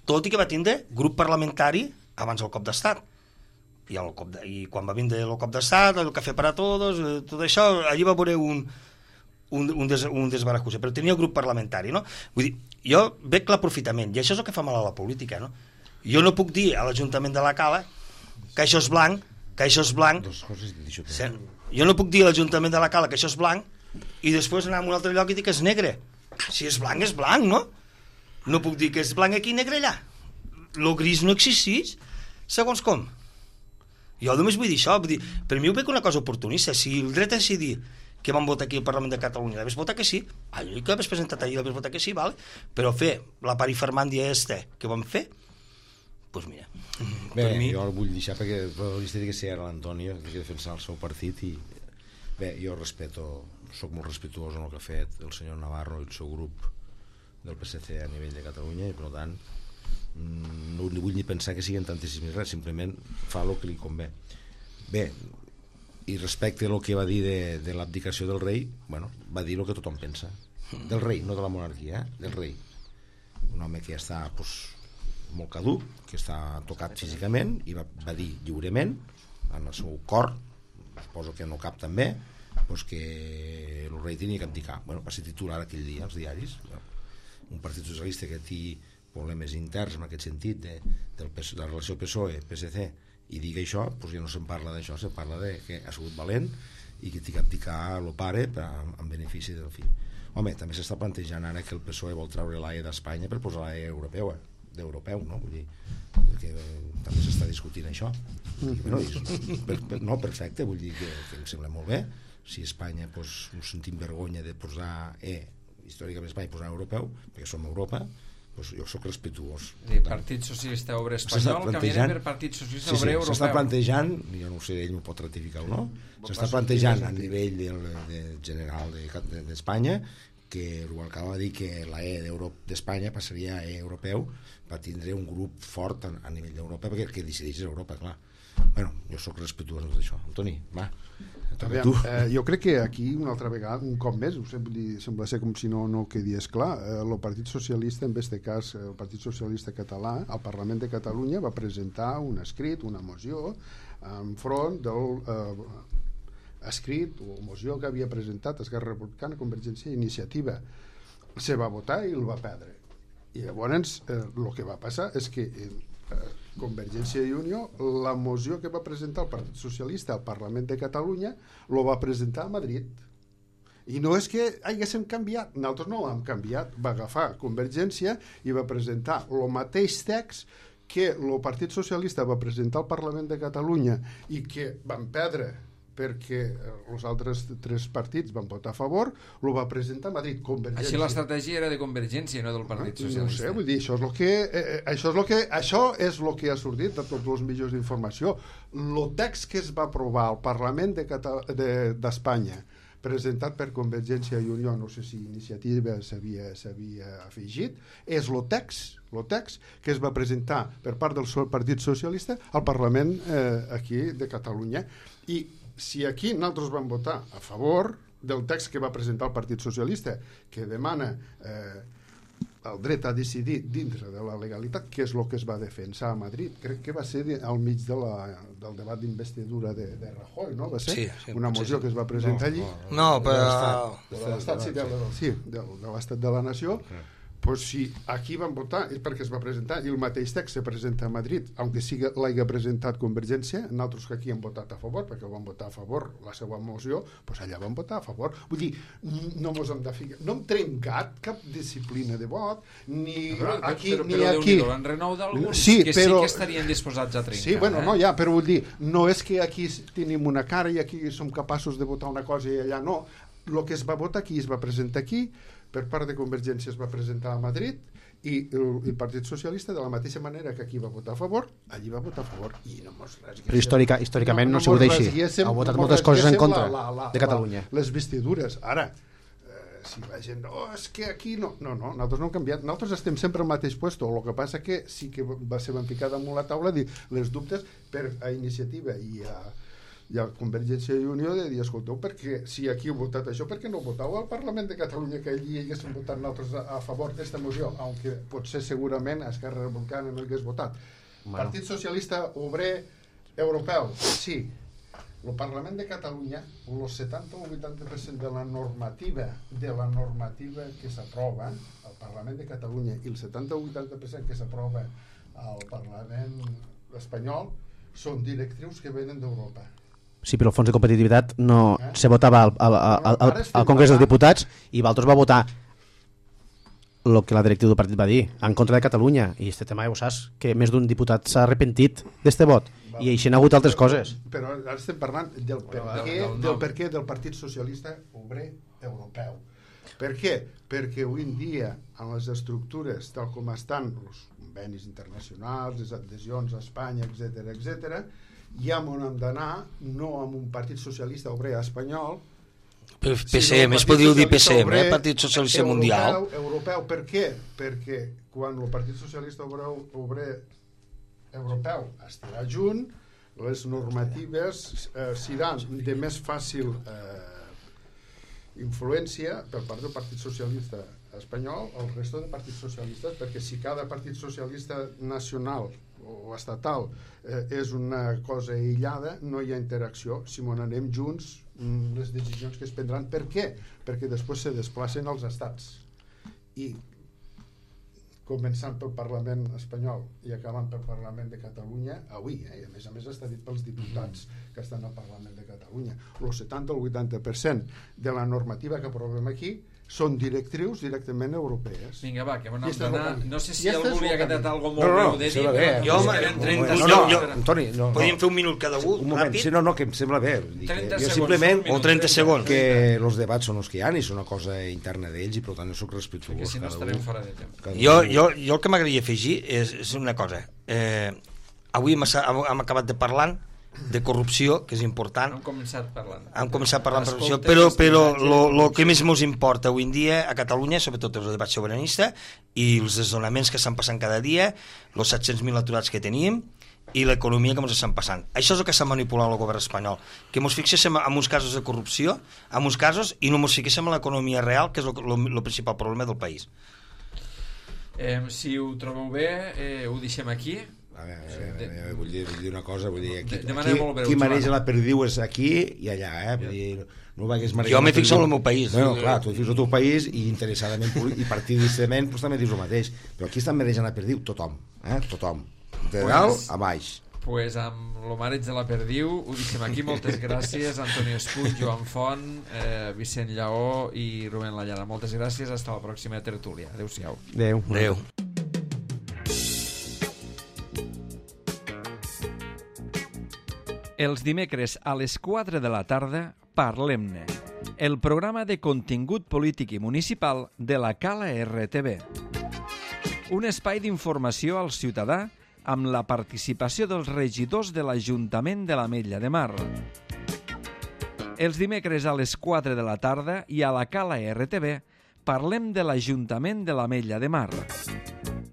tot i que va tindre grup parlamentari abans del cop d'estat. I, el cop de, i quan va vindre el cop d'estat, el cafè per a tots, tot això, allí va veure un, un, un, des, un desbarajusse, però tenia el grup parlamentari, no? Vull dir, jo veig l'aprofitament, i això és el que fa mal a la política, no? Jo no puc dir a l'Ajuntament de la Cala que això és blanc, que això és blanc, jo no puc dir a l'Ajuntament de la Cala que això és blanc, i després anar a un altre lloc i dir que és negre. Si és blanc, és blanc, no? No puc dir que és blanc aquí i negre allà. Lo gris no existeix, segons com. Jo només vull dir això, vull dir, per mi ho veig una cosa oportunista. Si el dret a decidir que vam votar aquí al Parlament de Catalunya l'haves votat que sí, allò que haves presentat allà l'haves votat que sí, vale? Però fer la parifermàndia este que vam fer, doncs pues mira, bé, per mi... jo el vull deixar perquè l'història que sé ara l'Antonio, que defensar el seu partit, i bé, jo respeto, soc molt respetuós en el que ha fet el senyor Navarro i el seu grup del P S C a nivell de Catalunya, i per tant no vull ni pensar que siguin tantíssims res, simplement fa el que li convé. Bé, i respecte al que va dir de, de l'abdicació del rei, bueno, va dir el que tothom pensa del rei, no de la monarquia, eh? Del rei, un home que ja està pues, molt caduc, que està tocat físicament, i va, va dir lliurement en el seu cor, suposo que no cap també, pues, que el rei tenia que abdicar. Bueno, va ser titular aquell dia als diaris. Un partit socialista que té problemes interns en aquest sentit de, del, de la relació P S O E P S C, i digui això, doncs ja no se'n parla d'això, se'n parla de que ha sigut valent i que té que abdicar el pare per, en benefici del fill. Home, també s'està plantejant ara que el P S O E vol treure l'A E d'Espanya per posar l'A E europeu, eh? d'europeu, no? Vull dir, que eh, també s'està discutint això. I, bueno, i, per, per, no, perfecte, vull dir que, que em sembla molt bé. Si Espanya pues, no sentim vergonya de posar E, històricament Espanya posar europeu, perquè som Europa, pues jo sóc respetuós. Sí, Partit Socialista Obrer Espanyol canviarà per Partit Socialista sí, sí, Obrer Europeu. S'està plantejant, jo no sé, ell m'ho pot ratificar o no, s'està plantejant a nivell de, de general d'Espanya de, que Rubalcaba va dir que la E d'Espanya passaria a E europeu per tindre un grup fort a, a nivell d'Europa, perquè el que decideix és Europa, clar. Bueno, jo sóc respetuós d'això. Antoni, va. Aviam, eh, jo crec que aquí una altra vegada, un cop més, dir, sembla ser com si no, no quedés clar, eh, el Partit Socialista, en aquest cas el Partit Socialista Català, al Parlament de Catalunya va presentar un escrit, una moció enfront del eh, escrit o moció que havia presentat Esquerra Republicana, Convergència i Iniciativa. Se va votar i el va perdre. I llavors eh, el que va passar és que eh, Convergència i Unió, la moció que va presentar el Partit Socialista al Parlament de Catalunya lo va presentar a Madrid, i no és que haguéssim canviat, nosaltres no l'hem canviat, va agafar Convergència i va presentar el mateix text que el Partit Socialista va presentar al Parlament de Catalunya i que van perdre perquè els altres tres partits van votar a favor, lo va presentar a Madrid. Convergència. Així l'estratègia era de Convergència, no del Partit Socialista. No sé, vull dir, això és el que, eh, això és el que, això és el que ha sortit de tots els mitjans d'informació. El text que es va aprovar al Parlament de Cata- de, d'Espanya presentat per Convergència i Unió, no sé si Iniciativa s'havia afegit, és el text, el text que es va presentar per part del Partit Socialista al Parlament eh, aquí de Catalunya. I si aquí nosaltres vam votar a favor del text que va presentar el Partit Socialista, que demana eh, el dret a decidir dintre de la legalitat, que és el que es va defensar a Madrid, crec que va ser al mig de la, del debat d'investidura de, de Rajoy, no? Va ser sí, sí, una moció sí. que es va presentar allí. No, però... De l'Estat, sí, de, sí, de, de l'Estat de la Nació. Pues si aquí van votar és perquè es va presentar i el mateix text se presenta a Madrid, aunque siga l'hagi presentat Convergència, nosaltres que aquí hem votat a favor, perquè van votar a favor la seva moció, pues allà van votar a favor. Vull dir, no mos hem de ficar, no hem trencat cap disciplina de vot, ni però, aquí però, ni però, aquí. Però en renou d'alguns sí, que però, sí que estarien disposats a trencar. Sí, bueno, eh? no, ja, però vull dir, no és que aquí tenim una cara i aquí som capaços de votar una cosa i allà no. El que es va votar aquí es va presentar aquí, per part de Convergència es va presentar a Madrid i el, el Partit Socialista, de la mateixa manera que aquí va votar a favor, allí va votar a favor i no mos rasguéssim. Però històrica, històricament no, no, no ha sigut així. Ha votat no moltes coses en contra la, la, la, de Catalunya. La, les vestidures. Ara, eh, si la gent... Oh, és que aquí no... No, no, nosaltres no hem canviat. Nosaltres estem sempre al mateix puesto. El que passa que sí que va ser van ficar damunt la taula dir les dubtes per a Iniciativa i a i a Convergència i Unió de dir, escolteu, perquè si aquí heu votat això, per què no voteu al Parlament de Catalunya que allí haguéssim votat nosaltres a, a favor d'esta moció, aunque potser segurament a Esquerra Republicana no hagués votat. Bueno. Partit Socialista Obrer Europeu, sí. El Parlament de Catalunya, el setanta o vuitanta per cent de la normativa de la normativa que s'aprova al Parlament de Catalunya i el setanta o vuitanta per cent que s'aprova al Parlament espanyol són directrius que venen d'Europa. Sí, però el fons de competitivitat no eh? se votava al, al, al, al, al Congrés dels Diputats i Valtros va votar el que la directiva del partit va dir, en contra de Catalunya. I aquest tema ja ho saps, que més d'un diputat s'ha arrepentit d'este vot. Va, I així n'ha hagut altres coses. Però ara estem parlant del per què del, del, per què del Partit Socialista Obrer Europeu. Per què? Perquè avui en dia, en les estructures tal com estan els convenis internacionals, les adhesions a Espanya, etcètera, etcètera, ja on hem d'anar, no amb un Partit Socialista Obrer espanyol, P C M, es podria dir P C M, eh? Partit Socialista europeu, Mundial. Europeu, per què? Perquè quan el Partit Socialista Obrer, Obrer Europeu estarà junt, les normatives eh, seran de més fàcil eh, influència per part del Partit Socialista espanyol al resto de partits socialistes, perquè si cada partit socialista nacional o estatal eh, és una cosa aïllada, no hi ha interacció. Si m'on anem junts, les decisions que es prendran. Per què? Perquè després se desplacen als estats. I començant pel Parlament espanyol i acabant pel Parlament de Catalunya, avui, eh? I a més a més està dit pels diputats que estan al Parlament de Catalunya. El setanta o el vuitanta per cent de la normativa que aprovem aquí són directrius directament europees. Vinga, va, que m'anem d'anar. No sé si I algú volia que t'ha algo molt no, no, breu de dir. No, no, jo, no, no, no, Antoni, no, podríem fer un minut cada un, un moment, ràpid? sí, no, no, que em sembla bé. trenta Jo segons, simplement, un minut, o trenta segons. que els debats són els que hi ha i són una cosa interna d'ells i per tant no soc respectuós. Perquè si no estarem fora de temps. Jo, jo, jo el que m'agradaria afegir és, és una cosa. Eh, avui hem, hem acabat de parlar de corrupció, que és important. Hem començat parlant. Hem començat parlant de corrupció, però, però el que més ens importa avui en dia a Catalunya, sobretot el debat sobiranista i els desnonaments que estan passant cada dia, els set-cents mil aturats que tenim i l'economia que ens estan passant. Això és el que s'ha manipulat el govern espanyol, que ens fixéssim en uns casos de corrupció, en uns casos, i no ens fixéssim en l'economia real, que és el principal problema del país. Eh, si ho trobeu bé, eh, ho deixem aquí. A veure, a veure, a veure, vull, dir, vull dir una cosa, vull dir, aquí, de, de aquí, breu, qui maneja la perdiu és aquí i allà, eh? Vull dir, no vaigues jo m'he fixat en el meu país. Bueno, clar, tu fixes el teu país i interessadament i partidistament pues, també dius el mateix, però aquí estan manejant la perdiu tothom, eh? Tothom, de pues, dalt a baix. Pues amb el mareig de la perdiu ho deixem aquí. Moltes gràcies, Antoni Espuig, Joan Font, eh, Vicent Lleó i Rubén Lallana. Moltes gràcies, fins la pròxima tertúlia. Adéu-siau. Adéu. Adéu. Els dimecres a les quatre de la tarda, Parlem-ne, el programa de contingut polític i municipal de la Cala R T V. Un espai d'informació al ciutadà amb la participació dels regidors de l'Ajuntament de l'Ametlla de Mar. Els dimecres a les quatre de la tarda i a la Cala R T V parlem de l'Ajuntament de l'Ametlla de Mar.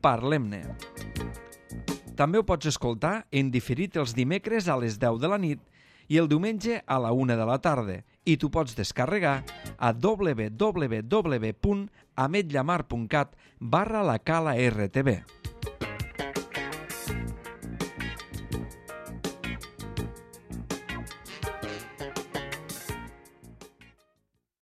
Parlem-ne. També ho pots escoltar en diferit els dimecres a les deu de la nit i el diumenge a la una de la tarda i tu pots descarregar a w w w punt ametllamar punt cat barra la Cala R T V.